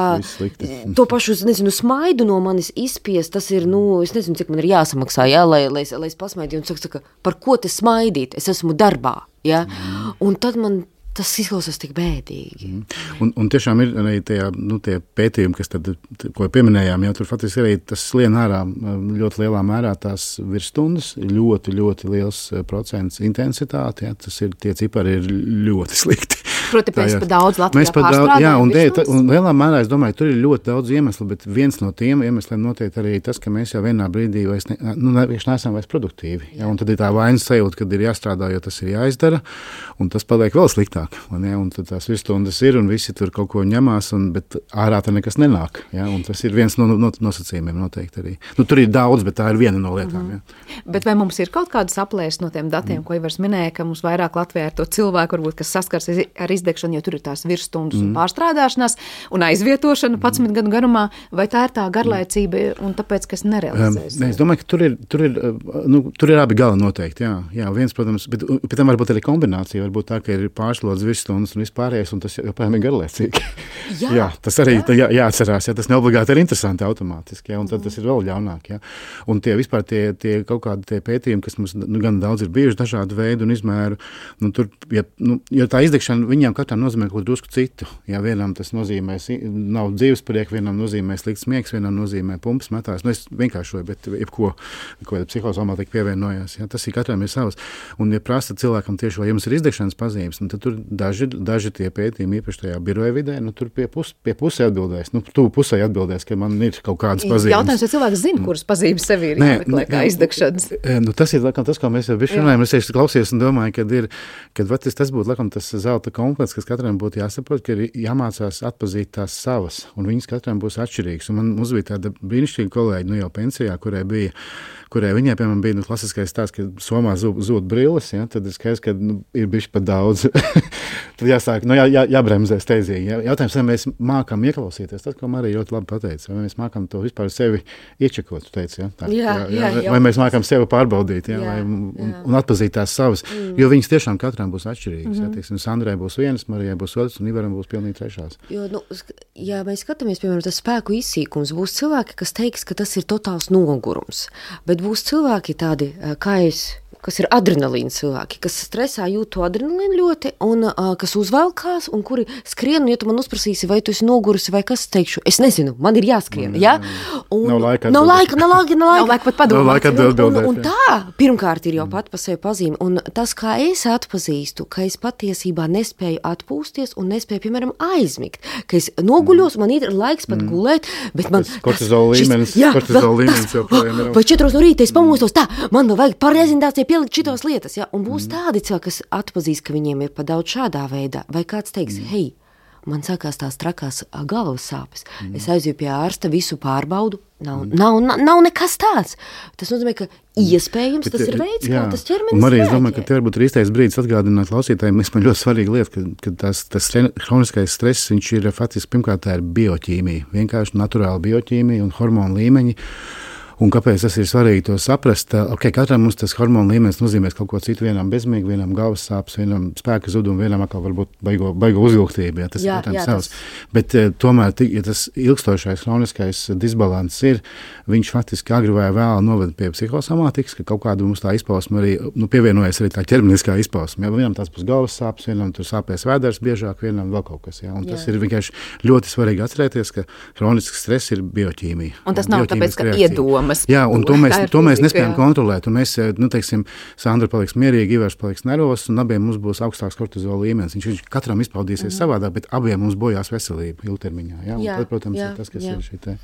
to pašu, nezinu, smaidu no manis izpēj, Spies, tas ir, nu, es nezinu, cik man ir jāsamaksā, jā, lai, lai, lai es pasmaidīju, un saka, saka, par ko te smaidīt? Es esmu darbā, jā, mm. un tad man tas izklausās tik bēdīgi. Mm. Un, un tiešām ir arī tie, nu, tie pētījumi, kas tad, ko pieminējām, jau tur faktiski arī tas slien ārā ļoti lielā mērā tās virsstundas, ļoti, ļoti liels procents intensitāti, jā, tas ir, tie cipari ir ļoti slikti. Proti, mēs pa daudz Latvijā pārstrādājam. Jā, un, de, un lielā mērā, es domāju, tur ir ļoti daudz iemeslu, bet viens no tiem iemesliem noteikti arī tas, ka mēs jau vienā brīdī vairs ne, nu, neesam vairs produktīvi. Jā, un tad ir tā vainas sajūta, kad ir jāstrādā, jo tas ir jāizdara, un tas paliek vēl sliktāk. Ja, un tad tās virsstundas ir, un visi tur kaut ko ņemās, un, bet ārā tā nekas nenāk. Ja, un tas ir viens no, no nosacījumiem noteikti arī. Nu, tur ir daudz, bet tā ir viena no lietām. Mm-hmm. Ja. Bet vai mums ir kaut kādas aplēses no tiem datiem, mm. ko Ivars minēja, ka mums vairāk Latvijā ir to cilvēku, varbūt, kas saskars ar izdegšanu, jo tur ir tās virsstundas mm. un pārstrādāšanās un aizvietošana padsmit gadu garumā, vai tā ir tā garlaicība un tāpēc, kas nerealizēs? Um, es domāju, ka tur ir, tur ir, nu, tur ir abi gali noteikti, jā. Jā, viens, protams, bet pēc tam varbūt arī kombinācija, varbūt tā, ka ir pārslodzes virsstundas un vispārējais, un tas joprojām ir garlaicīgi. Jā, jā, tas arī jā. Jā, jāatcerās, jā, tas neobligāti ir interesanti automātiski, jā, un tad tas ir vēl ļaunāk, jā. Un tie vispār tie, tie kaut kādi tie pētījumi, kas mums nu, gan daudz ir bijuši dažādu veidu un izmēru, nu, tur, ja, nu, jo tā izdegšana viņām katram nozīmē kaut drusku citu. Ja vienam tas nozīmē nav dzīvesprieka, vienam nozīmē slikts miegs, vienam nozīmē pumpas metās. Nu, es vienkāršoju, bet jebko, ko psihosomātika pievienojās. Ja, tas ir katram ir savs. Un, ja prasa cilvēkam tieši, vai jums ir izdegšanas pazīmes, nu, tad tur daži, daži tie pētījumi, īpaši tajā biroja vidē, nu, tur pie, pus, pie pusē atbildēs. Nu, tu pusē atbildēs, ka man ir kaut kādas pazīmes. Jautājums, vai cilvēks zina, kuras pazīmes sev ir jāmeklē kā izdegšanas? Nu, tas ir, laikam, tas, ko mēs jau bišķi runājam. Es tieši klausies un domāju, kad ir, kad vat, tas būtu, laikam, tas zelta komplekts, kas katram būtu jāsaprot, ka ir jāmācās atpazīt tās savas, un viņas katram būs atšķirīgas. Un man mums bija tāda brīnišķīga kolēģi, nu jau pensijā, kurai bija, kurai viņai, piemēram, bija nu, klasiskais stāsts, ka somā zūd, zūd brilles, ja, tad ir skaidrs, ka nu, ir bišķi pat daudz. Tad jāsāk, nu jā, jā, jābremzē steidzīgi. Jā. Jautājums, vai mēs mākam ieklausīties, tas, ko Marija ļoti labi pateica, vai mēs mākam to vispār sevi iečekot, tu teici, ja? Tā, jā, jā, jā, jā, vai mēs mākam sevi pārbaudīt, ja? jā, vai, un, jā. un atpazīt tās savas, mm. jo viņas tiešām katram būs atšķirīgas. Mm-hmm. Ja, teiksim, Sandrai būs vienas, Marijai būs otras, un Ivaram būs pilnīgi trešās. Jo, nu, ja mēs skatāmies, piemēram, tas spēku izsīkums, būs cilvēki, kas teiks, ka tas ir totāls nogurums, bet būs cilvēki tādi, kā es, kas ir adrenalīna cilvēki, kas stresā jūt to adrenalīnu ļoti, un uh, kas uzvelkās, un kuri skrien, un ja tu man uzprasīsi, vai tu esi nogurusi, vai kas teikšu, es nezinu, man ir jāskrien, ja? Un, nav laika nav laika, nav laika, nav laika, nav laika pat padomāt. Nav laika atbildēt, un, un, un tā, pirmkārt, ir jau pat pa sevi pazīme, un tas, kā es atpazīstu, ka es patiesībā nespēju atpūsties un nespēju, piemēram, aizmigt, ka es noguļos, man ir laiks pat mm. gulēt, bet man... Kortizola līmenis, kortizola līmenis joprojām ir. Vai četros no rīta es pamostos, tā, man vēl vajag parezintācija pielikt šitos lietas, ja? Un būs tādi cilvēki, kas atpazīst, ka viņiem ir pa daudz šādā veidā, vai kāds teiks, mm. hei, man sākās tās trakās galvas sāpes, mm. es aizju pie ārsta, visu pārbaudu, nav, mm. nav, nav, nav nekas tāds. Tas nozīmē, ka iespējams tas ir veids, jā. Kā tas ķermenis Marija, es domāju, ka te varbūt ir īstais brīdis atgādināt klausītājiem, es man ļoti svarīga lieta, ka, ka tās, tas hroniskais stress, viņš ir faktiski, pirmkārt, tā ir bioķīmija, vienkārši naturāla bioķīmija un hormonu līmeņi. Un kāpēc tas ir svarīgi to saprast? Okay, katram mums tas hormonu līmenis nozīmē kaut ko citu, vienam bezmīgi, vienam galvas sāpes, vienam spēka zudumu, vienam atkal varbūt baigo, baigo uzvilktību, ja tas jā, ir jā, savs. Tas... Bet tomēr, ja tas ilgstošais hroniskais disbalans ir, viņš faktiski agri vai vēl noved pie psihosomātikas, ka kaut kāda mums tā izpausme arī, nu, pievienojas arī tā ķermeniskā izpausme. Ja? Vienam tās būs galvas sāpes, vienam tur sāpēs vēders biežāk, vienam vēl kaut kas. Ja? Un tas jā. Ir vienkārši ļoti svarīgi atcerēties, ka hronisks stress ir bioķīmija. Un tas nav tāpēc, ka iedoma. Jā, un to mēs, to mēs nespējam kontrolēt. Un mēs, nu, teiksim, Sandra paliks mierīgi, Ivars paliks nervos, un abiem mums būs augstāks kortizola līmenis. Viņš, viņš katram izpaudīsies mm. savādāk, bet abiem mums bojās veselība ilgtermiņā. Jā, jā, tad, protams, jā, ir tas, kas jā. Ir šī te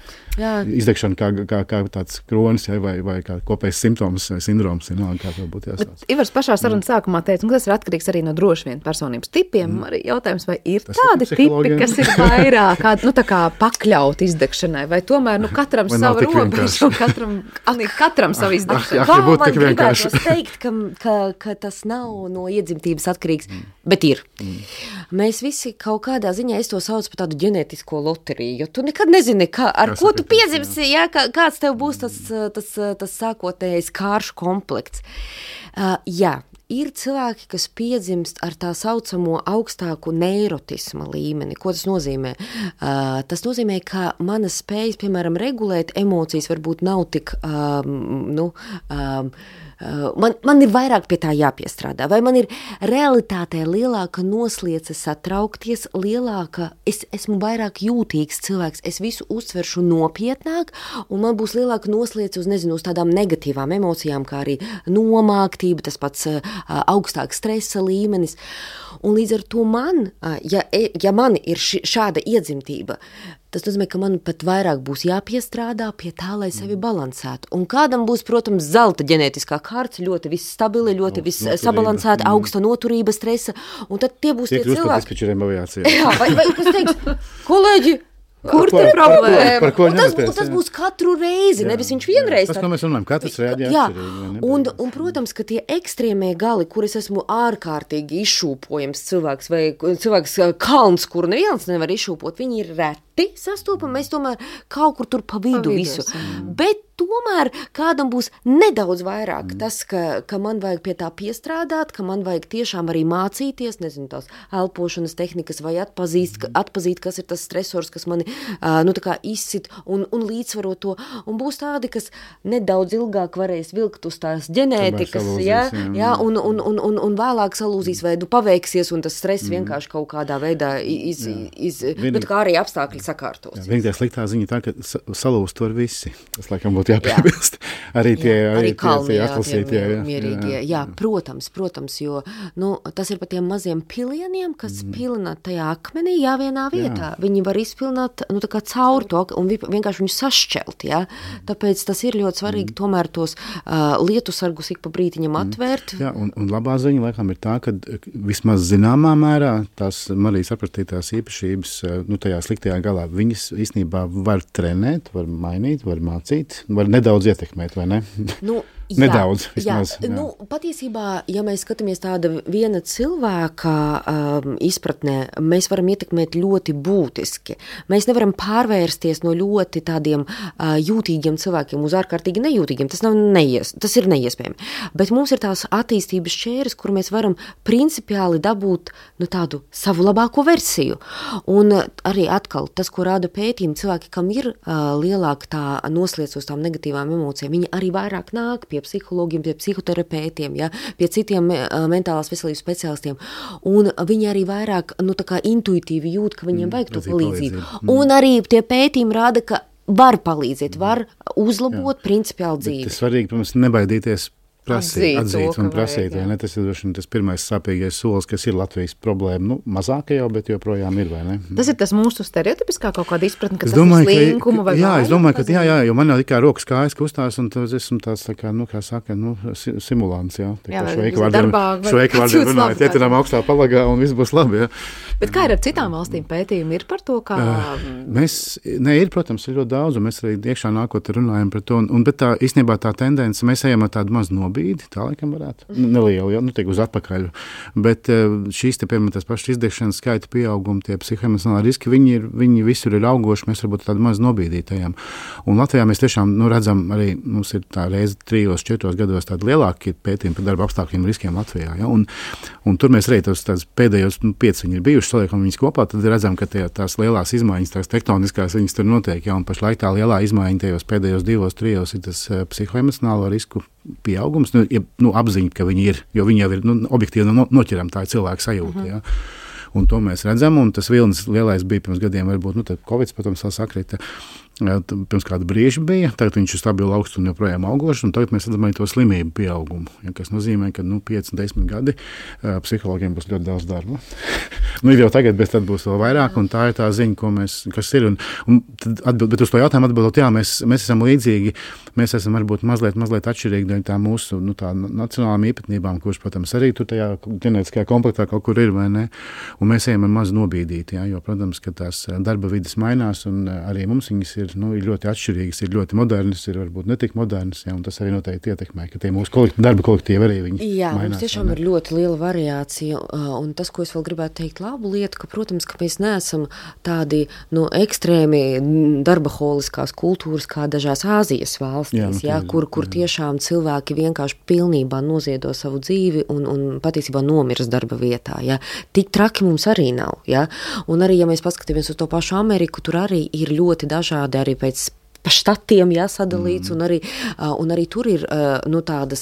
izdegšana kā, kā, kā tāds kronis, ja, vai, vai kā kopējs simptoms vai sindroms, ja, kā to būtu jāstāsta. Ivars pašā sarunas sākumā teica, un tas ir atkarīgs arī no droši vien personības tipiem. Mm. Arī jautājums, vai ir tas tādi ir tipi, kas ir vairāk, kā, nu, tā kā pakļaut izdegšanai, vai tomēr, nu, katram savu robežu, katram Anī, katram savu izdegšanu. Kā man gribētu teikt, ka, ka, ka tas nav no iedzimtības atkarīgs, mm. bet ir. Mm. Mēs visi kaut kādā ziņā, es to saucu par tādu ģenētisko loteriju, jo tu nekad nezini, kā, ar Kas ko tu piedzimsi, jā, kā, kāds tev būs tas, tas, tas sākotnējais kāršu komplekts. Uh, jā. Ir cilvēki, kas piedzimst ar tā saucamo augstāku neirotisma līmeni. Ko tas nozīmē? Uh, tas nozīmē, ka manas spējas, piemēram, regulēt emocijas varbūt nav tik, um, nu, um, uh, man, man ir vairāk pie tā jāpiestrādā, vai man ir realitātē lielāka nosliece satraukties, lielāka, es esmu vairāk jūtīgs cilvēks, es visu uztveršu nopietnāk, un man būs lielāka nosliece uz, nezinu, uz tādām negatīvām emocijām, kā arī nomāktība, tas pats uh, augstāks stresa līmenis. Un līdz ar to man, ja, ja man ir ši, šāda iedzimtība, tas nozīmē, ka man pat vairāk būs jāpiestrādā pie tā, lai sevi balansētu. Un kādam būs, protams, zelta ģenētiskā kārta, ļoti viss stabili, ļoti viss sabalansēta, augsta noturība, stresa, un tad tie būs Tiek tie cilvēki. Jā, vai, vai kas teiks, kolēģi, kur te problēma? Par ko un tas, un tas būs katru reizi, jā, nevis viņš vienreiz. Tas, ko mēs runājam, katrs reaģē atšķirīgi. Un, un, protams, ka tie ekstrēmie gali, kur es esmu ārkārtīgi izšūpojams cilvēks, vai cilvēks kalns, kuru neviens nevar izšūpot, viņi ir reti sastopami, mēs tomēr kaut kur tur pa vidu visu. Bet tomēr kādam būs nedaudz vairāk mm. tas, ka, ka man vajag pie tā piestrādāt, ka man vajag tiešām arī mācīties, nezinu, tās elpošanas tehnikas vai atpazīt, mm. atpazīt, kas ir tas stresors, kas mani uh, nu, tā kā izsit un, un līdzsvarot to. Un būs tādi, kas nedaudz ilgāk varēs vilkt uz tās ģenētikas, salūzīs, jā, jā, jā, un, un, un, un, un vēlāk salūzīs vai nu paveiksies, un tas stress mm. vienkārši kaut kādā veidā iz, iz, iz bet kā arī apstākļi tikt sakārtots. Jā, vienīgā sliktā ziņa tā, ka salūst var visi. Tas, laikam, būtu jāpiebilst. Arī tie, jā, arī kalni, jā, atlasītie. Jā, mierīgie. Jā, jā, protams, protams, jo nu, tas ir pa tiem maziem pilieniem, kas mm. pilina tajā akmenī, jā, vienā vietā. Jā. Viņi var izpilināt, nu, tā kā caur to, un vienkārši viņu sašķelt, jā. Tāpēc tas ir ļoti svarīgi mm. tomēr tos uh, lietusargus ik pa brītiņam atvērt. Jā, un, un labā ziņa, laikam, ir tā, ka vismaz zināmā mērā tās Marijas aprakstītās īpašības, nu, tajā sliktajā galā, viņas īstenībā var trenēt, var mainīt, var mācīt, var nedaudz ietekmēt, vai ne? Nu, jā, nedaudz, vismaz. Jā. Jā. Nu, patiesībā, ja mēs skatāmies tāda viena cilvēka um, izpratnē, mēs varam ietekmēt ļoti būtiski. Mēs nevaram pārvērsties no ļoti tādiem uh, jūtīgiem cilvēkiem uz ārkārtīgi nejūtīgiem. Tas, nav neies, tas ir neiespējami. Bet mums ir tās attīstības šķēres, kur mēs varam principiāli dabūt nu, tādu savu labāko versiju. Un arī atkal tas, ko rāda pētījumi, cilvēki, kam ir uh, lielāka tā nosliec uz tām negatīvām emocijām, viņi arī vairāk nāk pie psihologiem, pie psihoterapeitiem, ja, pie citiem uh, mentālās veselības speciālistiem. Un viņi arī vairāk nu, tā kā intuitīvi jūt, ka viņiem mm, vajag to palīdzību. Mm. Un arī tie pētījumi rāda, ka var palīdzēt, var uzlabot Jā. Principiāli dzīvi. Bet tas svarīgi, protams, nebaidīties prasīt, atzīt, atzīt to, un prasīt, vajag, vai ne? Tas ir tas pirmais sāpīgais solis, kas ir Latvijas problēma. Nu, mazāka jau, bet joprojām ir, vai ne? Tas ir tas mūsu stereotipiskā kaut kāda izpratne, ka es tas domāju, ir slinkuma vai jā, vāja, es domāju, ka jā, jā, jo man jau tikai rokas kājas kustās, un tas esmu tāds, tā kā, nu, kā saka, nu, simulants, jā. Tā kā šveika vārdiem, šveika vārdiem runājot, ietinām augstā palagā, un viss būs labi, jā. Bet kā ir ar citām valstīm pētījumi? Ir par to, kā... Uh, mēs, ne, ir, protams, ir ļoti daudz, un mēs arī iekšā nākot runājam par to, un, un bet tā, īstenībā tā tendence, mēs ejam ar tādu mazu nobīdi, tā laikam varētu, nelielu, ja, nu, tiek uz atpakaļ, bet šīs te, piemēram, tās pašas izdegšanas skaita pieaugumi, tie psihoemocionāli riski, viņi, ir, viņi visur ir augoši, mēs varbūt tādu mazu nobīdītajam. Un Latvijā mēs tiešām, nu, redzam arī, mums ir tā reize trijos, četros gados tādi lielāki pētījumi par darba apstākļiem riskiem Latvijā, ja, un, un tur mēs arī tos tāds pēdējos, nu, pieci viņi ir bijuši, saliekam viņus kopā, tad redzam, ka tie, tās lielās izmaiņas, tās tektoniskās, viņas tur notiek, ja, un pašlaik tā lielā izmaiņa tajos pēdējos divos, trijos ir tas uh, psihoemocionālo risku pieaugums, nu, ja, nu, apziņa, ka viņi ir, jo viņi jau ir, nu, objektīvi no, noķeram, tā ir cilvēka sajūta, uh-huh. ja. Un to mēs redzam, un tas vilnis lielais bija pirms gadiem, varbūt, nu, tad Covid, protams, vēl sakrita, pirms kāda brīža bija, tagad viņš ir stabili augsts un joprojām augošs, un tagad mēs redzam arī to slimību pieaugumu, ja, kas nozīmē, ka, nu, pieci, desmit gadi uh, psihologiem būs ļoti daudz darba. Nu, ir jau tagad, bet tad būs vēl vairāk, un tā ir tā ziņa, ko mēs, kas ir, un, un tad atbild, bet uz to jautājumu atbildot, jā, mēs, mēs esam līdzīgi, mēs esam varbūt mazliet, mazliet atšķirīgi dēļ tā mūsu, nu, tā nacionālām īpatnībām, kurš, protams, arī tur tajā ģenētiskajā komplektā kaut kur ir, vai ne, un mēs ejam ar mazu nobīdīt, jā, jo, protams, ka tās darba vidas mainās, un arī mums viņas ir, nu, ir ļoti atšķirīgas, ir ļoti modernas, ir varbūt netik modernas, jā, un tas arī noteikti ietekmē, ka tie mūsu kolekti, darba kolektīvi arī viņi jā, mainās. Jā, mums tiešām ir ļoti liela variācija, un tas, ko es vēl gribētu teikt labu lietu, ka, protams, ka mēs neesam tādi, nu, ekstrēmi darbaholiskās kultūras kā dažās Āzijas valstīs, jā, nu, jā, kur, kur jā. Tiešām cilvēki vienkārši pilnībā noziedo savu dzīvi un, un patiesībā nomirs darba vietā, jā. Tik traki mums arī nav, jā. Un arī, ja mēs paskatāmies uz to pašu Ameriku, tur arī ir ļoti dažādi arī pēc pa štatiem jāsadalīts, mm. un, arī, un arī tur ir nu, tādas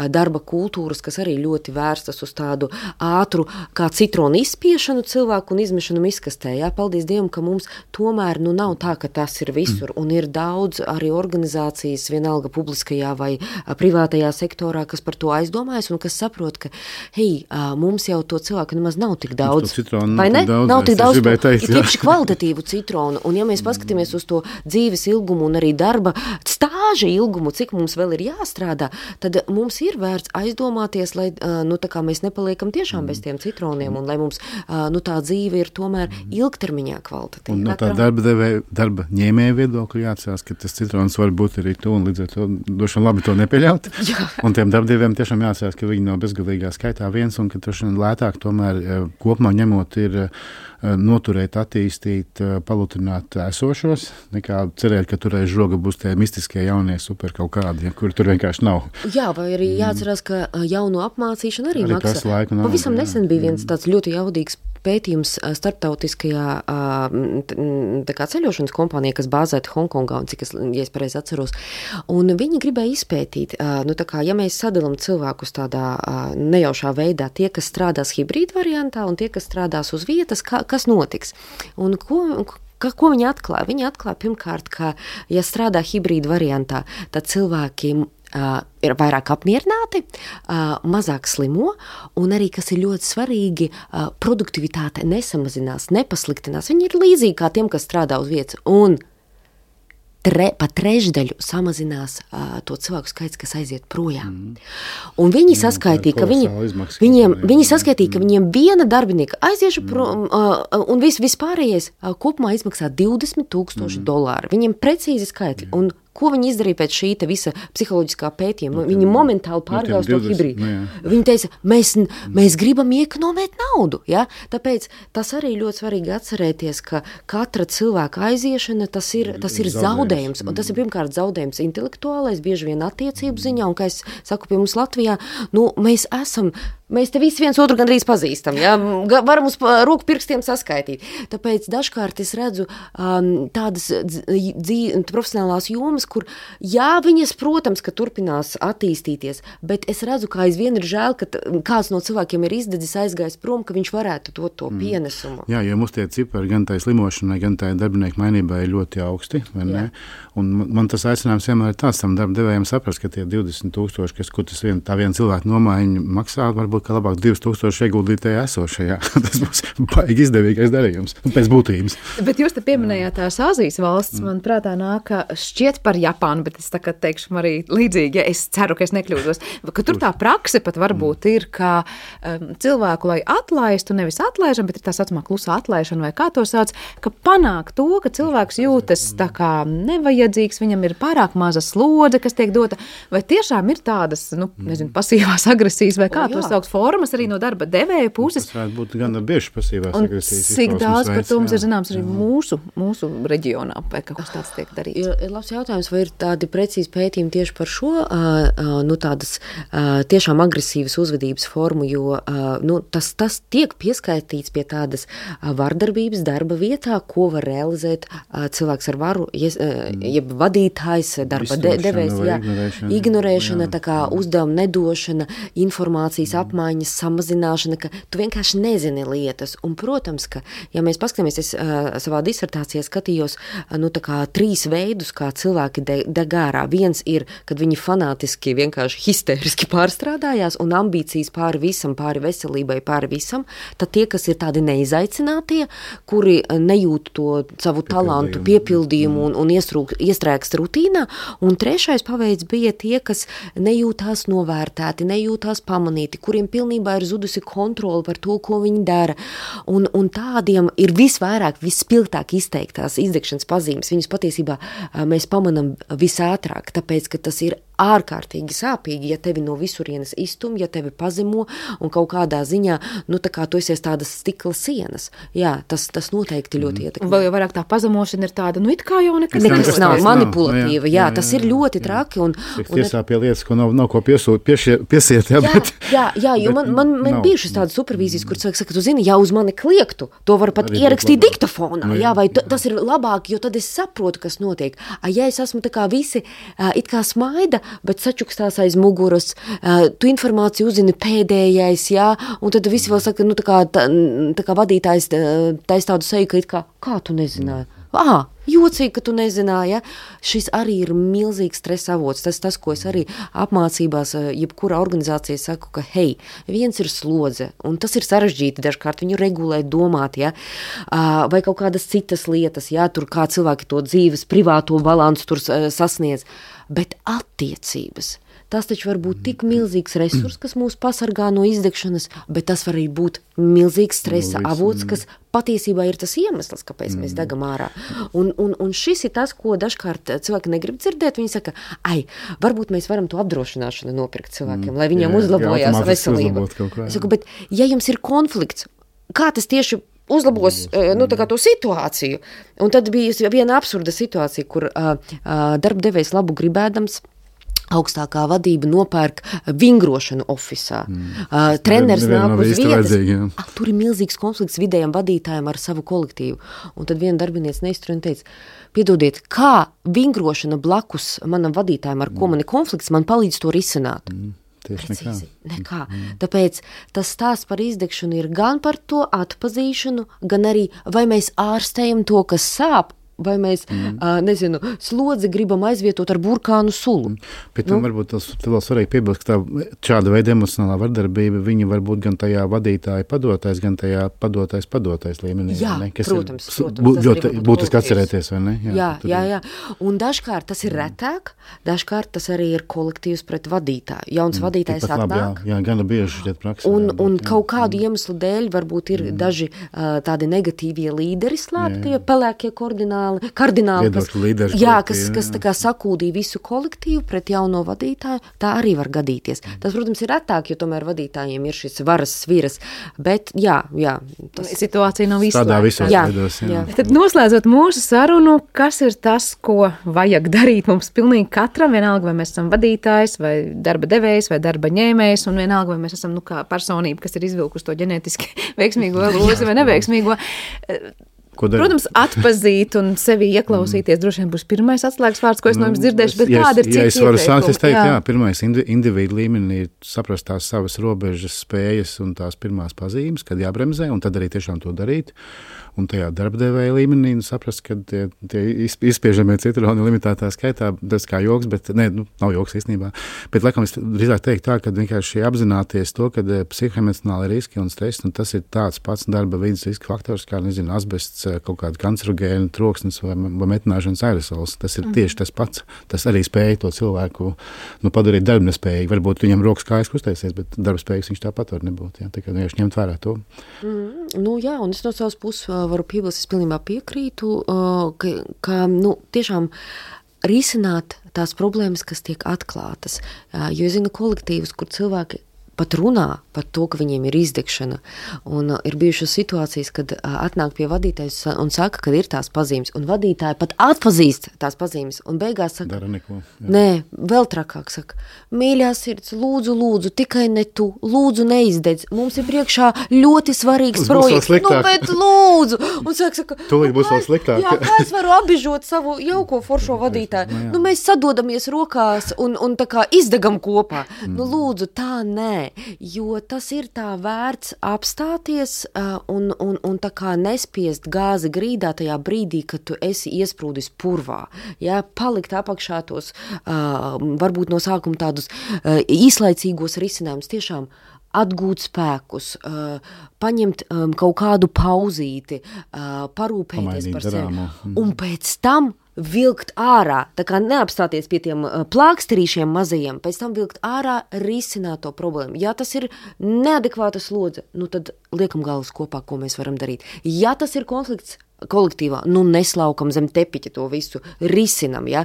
darba kultūras, kas arī ļoti vērstas uz tādu ātru kā citronu izspiešanu cilvēku un izmešanu miskastē. Jā, paldies Dievam, ka mums tomēr nu, nav tā, ka tas ir visur, mm. un ir daudz arī organizācijas, vienalga publiskajā vai privātajā sektorā, kas par to aizdomājas un kas saprot, ka, hei, mums jau to cilvēku nemaz nav tik daudz. Citronu, vai ne? Daudz, nav tik daudz, to, teikt, ir tieši kvalitatīvu citronu, un ja mēs paskatāmies uz to dzīves ilgumu un arī darba stāža ilgumu, cik mums vēl ir jāstrādā, tad mums ir vērts aizdomāties, lai nu, tā kā mēs nepaliekam tiešām bez tiem citroniem un lai mums nu, tā dzīve ir tomēr ilgtermiņā kvalitatīva. Un no tā darba, devē, darba ņēmēja viedokļa jāatcerās, ka tas citrons var būt arī tu un līdz ar to došan labi to nepieļaut. Un tiem darbdevējiem tiešām jāatcerās, ka viņi nav bezgalīgā skaitā viens un ka drošan lētāk tomēr kopumā ņemot ir noturēt, attīstīt, palutrināt esošos, nekā cerēt, ka tur aiz žoga būs tie mistiskie jaunie super kaut kādi, ja, kur tur vienkārši nav. Jā, vai arī jāatcerās, ka jaunu apmācīšana arī, arī maksā. Laiku nav, Pavisam jā. Nesen bija viens tāds ļoti jaudīgs pētījums starptautiskajā tā kā ceļošanas kompānijā, kas bāzēta Hongkongā, un cik es, ja es pareizi atceros. Un viņi gribēja izpētīt, nu tā kā, ja mēs sadalam cilvēkus tādā nejaušā veidā, tie, kas strādās hibrīd variantā un tie, kas strādās uz vietas, kā, kas notiks. Un ko, Ka, ko viņi atklāja? Viņi atklāja pirmkārt, ka, ja strādā hibrīda variantā, tad cilvēki uh, ir vairāk apmierināti, uh, mazāk slimo, un arī, kas ir ļoti svarīgi, uh, produktivitāte nesamazinās, nepasliktinās. Viņi ir līdzīgi kā tiem, kas strādā uz vietas, un tre, pa trešdaļu samazinās uh, to cilvēku skaits, kas aiziet projām. Mm. Un viņi saskaitīja, ka viņi, viņiem, viņi saskaitīja, ka viņiem viena darbinieka aizieša mm. prom, uh, un vis, vispārējais uh, kopumā izmaksā divdesmit tūkstoši mm. dolāru. Viņiem precīzi skaitļi. Mm. Un ko viņi izdarīja pēc šī te visa psiholoģiskā pētījuma? No, viņi momentāli pārgāja to hibrīdu. No, viņi teica, mēs, mēs gribam iekonomēt naudu. Ja? Tāpēc tas arī ļoti svarīgi atcerēties, ka katra cilvēka aiziešana, tas ir, tas ir zaudējums. Un tas ir pirmkārt zaudējums intelektuālais, bieži vien attiecību ziņā, un, kā es saku, pie mums Latvijā, nu, mēs esam, mēs te visi viens otru gandrīz pazīstam, ja? Varam uz roku pirkstiem saskaitīt. Tāpēc dažkārt es redzu um, tādas dzī, profesionālās jomas, kur, jā, viņas, protams, ka turpinās attīstīties, bet es redzu, ka aizvien ir žēl, ka kāds no cilvēkiem ir izdedzis, aizgājis prom, ka viņš varētu dot to pienesumu. Jā, jo mums tie cipari gan tai slimošanai, gan tai darbinieku mainībai ir ļoti augsti, vai ne? Un man tas aicinājums vienmēr ir tāds, tam darba devējiem saprast, ka tie divdesmit tūkstoši, kas, kur tas vien, tā viena cilvēka nomaiņa maksā, varbūt, ka labāk divus tūkstoši ieguldīt tajā esošajā. Tas būs baigi izdevīgais darījums, pēc būtības. Bet jūs te pieminējāt tās Āzijas valsts, man prātā nāk šķiet par Japānu, bet es tagad teikšu arī līdzīgi, ja es ceru, ka es nekļūdos, ka tur tā prakse pat varbūt ir, ka um, cilvēku, lai atlaistu, nevis atlaižam, bet ir tā saucamā klusā atlaišana, vai kā to sauc, ka panāk to, ka cilvēks jūtas tā kā nevajadzīgs, viņam ir pārāk maza slodze, kas tiek dota, vai tiešām ir tādas, nu, nezinu, pasīvās agresijas, vai kā o, to sauc formas arī no darba devēja puses. Tas varētu būt gan bieži pasīvās un agresijas. Cik daudz par to mums ir zināms arī mūsu, mūsu reģionā, vai kaut kas tāds tiek darīts? Ir, ir labs jautājums, vai ir tādi precīzi pētījumi tieši par šo, uh, uh, nu tādas uh, tiešām agresīvas uzvedības formu, jo uh, nu, tas, tas tiek pieskaitīts pie tādas uh, vardarbības darba vietā, ko var realizēt uh, cilvēks ar varu, jes, uh, jeb vadītājs, darba de, devējs, jā, ignorēšana, ignorēšana jā, tā kā uzdevuma nedošana, informācijas apmaiņas samazināšana, ka tu vienkārši nezini lietas. Un, protams, ka, ja mēs paskatāmies, es uh, savā disertācijā skatījos, uh, nu tā kā trīs veidus, kā cilvēki de, deg ārā. Viens ir, kad viņi fanātiski vienkārši histēriski pārstrādājās un ambīcijas pāri visam, pāri veselībai, pāri visam, tad tie, kas ir tādi neizaicinātie, kuri nejūt to savu talantu, piepildījumu un, un iestrūk, iestrēgst rutīnā, un trešais paveids bija tie, kas nejūtās novērtēti, nejūtās pamanīti, kuriem pilnībā ir zudusi kontroli par to, ko viņi dara, un, un tādiem ir visvairāk, vispilgtāk izteiktās izdegšanas pazīmes. Viņus patiesībā mēs pamanam visātrāk, tāpēc, ka tas ir ārkārtīgi sāpīgi, ja tevi no visurienes iztum, ja tevi pazemo un kaut kādā ziņā, nu tā kā tu esies tādas stikla sienas. Jā, tas, tas noteikti ļoti ietekmē. Vai vairāk tā pazemošana ir tāda, nu it kā jau nekas, nekas nav, nav manipulatīva, jā, jā, jā, tas ir ļoti jā, traki. Un, un, tiesā pie lietas, ko nav, nav ko piesūt, piešie, piesiet, jā, jā, bet... Jā, jā, jo man, man, man bijušas tādas supervīzijas, kur cilvēks saka, tu zini, ja uz mani kliektu, to var pat arī ierakstīt diktafonā, no, jā, jā, vai t, tas ir labāk, jo tad es saprotu, kas notiek. Ja es esmu tā kā visi, it kā smaida, bet sačukstās aiz muguras, uh, tu informāciju uzzini pēdējais, jā, un tad visi vēl saka, nu tā kā, tā, tā kā vadītājs tais tādu seju, ka it kā, kā tu nezināji? Ā, jocīgi, ka tu nezināji, ja? Šis arī ir milzīgs stresa avots. Tas tas, ko es arī apmācībās, jebkurā organizācijā saku, ka, hei, viens ir slodze, un tas ir sarežģīti dažkārt viņu regulēt, domāt, ja? Uh, vai kaut kādas citas lietas, ja? Tur kā cilvēki to dzīves privāto balansu tur uh, sasniedz. Bet attiecības, tas taču var būt tik milzīgs resurs, kas mūs pasargā no izdegšanas, bet tas var arī būt milzīgs stresa avots, kas patiesībā ir tas iemesls, kāpēc mēs degam ārā. Un, un, un šis ir tas, ko dažkārt cilvēki negrib dzirdēt. Viņi saka, ai, varbūt mēs varam to apdrošināšanu nopirkt cilvēkiem, lai viņiem jā, uzlabojās jā, veselība. Es saku, bet ja jums ir konflikts, kā tas tieši uzlabos nu, tā kā to situāciju. Un tad bija viena absurda situācija, kur uh, uh, darba devējs labu gribēdams augstākā vadība nopērk vingrošanu ofisā. Mm. Uh, treneris nāk uz vietas. Ah, tur ir milzīgs konflikts vidējam vadītājiem ar savu kolektīvu. Un tad viena darbiniece neiztur un teica, piedodiet, kā vingrošana blakus manam vadītājiem, ar ko man ir konflikts, man palīdz to risināt. Mm. Tieši Precīzi, nekā. nekā. Mm. Tāpēc tas stāsts par izdegšanu ir gan par to atpazīšanu, gan arī vai mēs ārstējam to, kas sāp, vai mēs, mm. uh, nezinu, slodzi gribam aizvietot ar burkānu sulu. Mm. Bet nu? Varbūt tas vēl svarīgi piebilst, ka tā šāda veida emocionālā vardarbība, viņa var būt gan tajā vadītāja padotais, gan tajā padotais padotais līmenī. Jā, ne? Kas protams, ir, protams. Bū, ļoti būtiski atcerēties, vai ne? Jā, jā, jā, jā. Un dažkārt tas ir retāk, dažkārt tas arī ir kolektīvs pret vadītāju. Jauns mm. vadītājs Tikpat atnāk. Labi, jā, jā, gana bieži šķiet praksē. Un, jābūt, un jā. kaut kādu mm. iemeslu dēļ varbūt ir mm. daži uh, tādi negatīvie līderi slēptie, pelēkie kardināli, kardināli kas, līderi, jā, kas, kas tā kā sakūdīja visu kolektīvu pret jauno vadītāju, tā arī var gadīties. Tas, protams, ir retāk, jo tomēr vadītājiem ir šis varas sviras, bet jā, jā. Tas... Situācija nav izslēgta. Tādā visos jā, veidos, jā. jā. Tad noslēdzot mūsu sarunu, kas ir tas, ko vajag darīt mums pilnīgi katram, vienalga, vai mēs esam vadītājs, vai darba devējs, vai darba ņēmējs, un vienalga, vai mēs esam, nu, kā personība, kas ir izvilkusi to ģenētiski veiksmīgo lozi vai neveiksmīgo. Protams, atpazīt un sevi ieklausīties droši vien būs pirmais atslēgas vārds, ko es no jums dzirdēšu, bet ja kāda ir cita ieteikuma? Ja es varu sākt, es teiktu, jā, jā pirmais indi, individu līmenī ir saprast tās savas robežas, spējas un tās pirmās pazīmes, kad jābremzē, un tad arī tiešām to darīt. Un tajā darbdevēja līmenī nu, saprast, ka tie, tie izspiežamie citroni limitētā skaitā, tas kā joks, bet ne, nu, nav joks īstenībā. Bet, laikam, es drīzāk teiktu tā, ka vienkārši apzināties to, ka psihoemocionāli riski un stress, un tas ir tāds pats darba vidas riska faktors, kā, nezinu, asbests, kaut kāda kancerogēna, troksnis vai, vai metināšanas aerosols. Tas ir tieši tas pats. Tas arī spēja to cilvēku nu, padarīt darbnespējīgi. Varbūt viņam rokas kājas kustēsies, bet darbspējīgs viņš tāpat var nebūt. Jā. Tikai vienkārši ņemt vērā to. Mm, nu jā, un es no savas puses varu piebilst, es pilnībā piekrītu, ka, ka nu, tiešām risināt tās problēmas, kas tiek atklātas. Jo es zinu kolektīvus, kur cilvēki pat runā par to, ka viņiem ir izdegšana. Un uh, ir bijušas situācijas, kad uh, atnāk pie vadītājs un saka, ka ir tās pazīmes. Un vadītāji pat atpazīst tās pazīmes. Un beigās saka, dara neko. Jā. Nē, vēl trakāk saka, mīļā sirds, lūdzu, lūdzu, tikai ne tu, lūdzu neizdedz. Mums ir priekšā ļoti svarīgs projekts. Nu, bet lūdzu. Un saka, saka tūlīt būs vēl sliktāk. Jā, kā es varu apbižot savu jauko foršo vadītāju? Nu, mēs sadodamies rokās un, un tā kā izdegam kopā. Mm. Nu, lūdzu, tā nē. Jo tas ir tā vērts apstāties uh, un, un, un tā kā nespiest gāzi grīdā tajā brīdī, kad tu esi iesprūdis purvā. Ja? Palikt apakšā tos, uh, varbūt no sākuma tādus uh, īslaicīgos risinājumus, tiešām atgūt spēkus, uh, paņemt um, kaut kādu pauzīti, uh, parūpēties Pamainīt par sevi. Mm. Un pēc tam vilkt ārā, tā kā neapstāties pie tiem plāksterīšiem mazajiem, pēc tam vilkt ārā, risināt to problēmu. Ja tas ir neadekvāta slodze, nu tad liekam galvas kopā, ko mēs varam darīt. Ja tas ir konflikts kolektīvā, nu neslaukam zem tepiķa to visu, risinam, ja?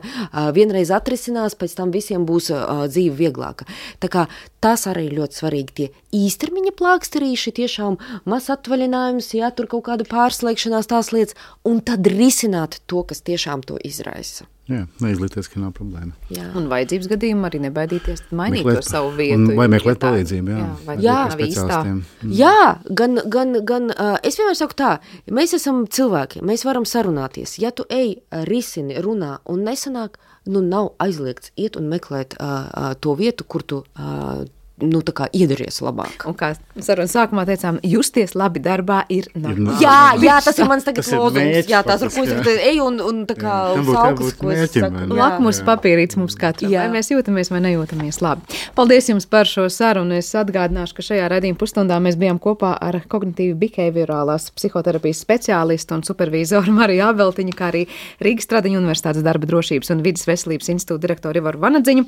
Vienreiz atrisinās, pēc tam visiem būs uh, dzīve vieglāka. Tā kā tas arī ļoti svarīgi, tie īstermiņa plāksterīši, tiešām maz atvaļinājums, ja tur kaut kāda pārslēgšanās tās lietas, un tad risināt to, kas tiešām to izraisa. Jā, neizlikties, ka nav problēma. Jā. Un vajadzības gadījumā arī nebaidīties mainīt meklēt, to savu vietu. Un, vai meklēt ja tā, palīdzību, jā. Jā, jā, speciālistiem. Jā, gan, gan, gan uh, es vienmēr saku tā, mēs esam cilvēki, mēs varam sarunāties. Ja tu ej, risini, runā un nesanāk, nu nav aizliegts iet un meklēt uh, uh, to vietu, kur tu uh, nu, tā kā iedaries labāk. Un kā sarunas sākumā teicām, justies labi darbā ir normāli. Jā, jā, tas ir mans tagad Tas ir lozums. mērķis Jā, tās ir ko es faktiski, tagad eju un, un tā kā Tam būtu saukas, jābūt ko es mērķim, saku. vai ne? Jā. Lakmus papīrīts mums katram, Jā. vai mēs jūtamies vai nejūtamies labi. Paldies jums par šo sarunu. Es atgādināšu, ka šajā raidījuma pusstundā mēs bijām kopā ar kognitīvi behaviorālās psihoterapijas speciālistu un supervīzoru Mariju Abeltiņu, kā arī Rīgas Stradiņu Universitātes darba drošības un vidas veselības institūta direktoru Ivaru Vanadziņu.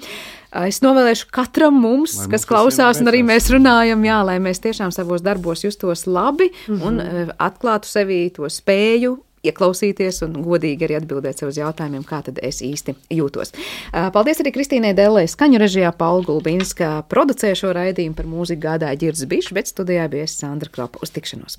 Es novēlēšu katram mums, Lai kas mums klausās, visiem un arī veicās. mēs runājam, jā, lai mēs tiešām savos darbos justos labi Mhm. un uh, atklātu sevī to spēju ieklausīties un godīgi arī atbildēt sev uz jautājumiem, kā tad es īsti jūtos. Uh, paldies arī Kristīnai Dellei, skaņu režijā Paula Gulbinska, producēja šo raidījumu, par mūziku gādāja Ģirds Bišs, bet studijā bija es Sandra Kropa. Uz tikšanos!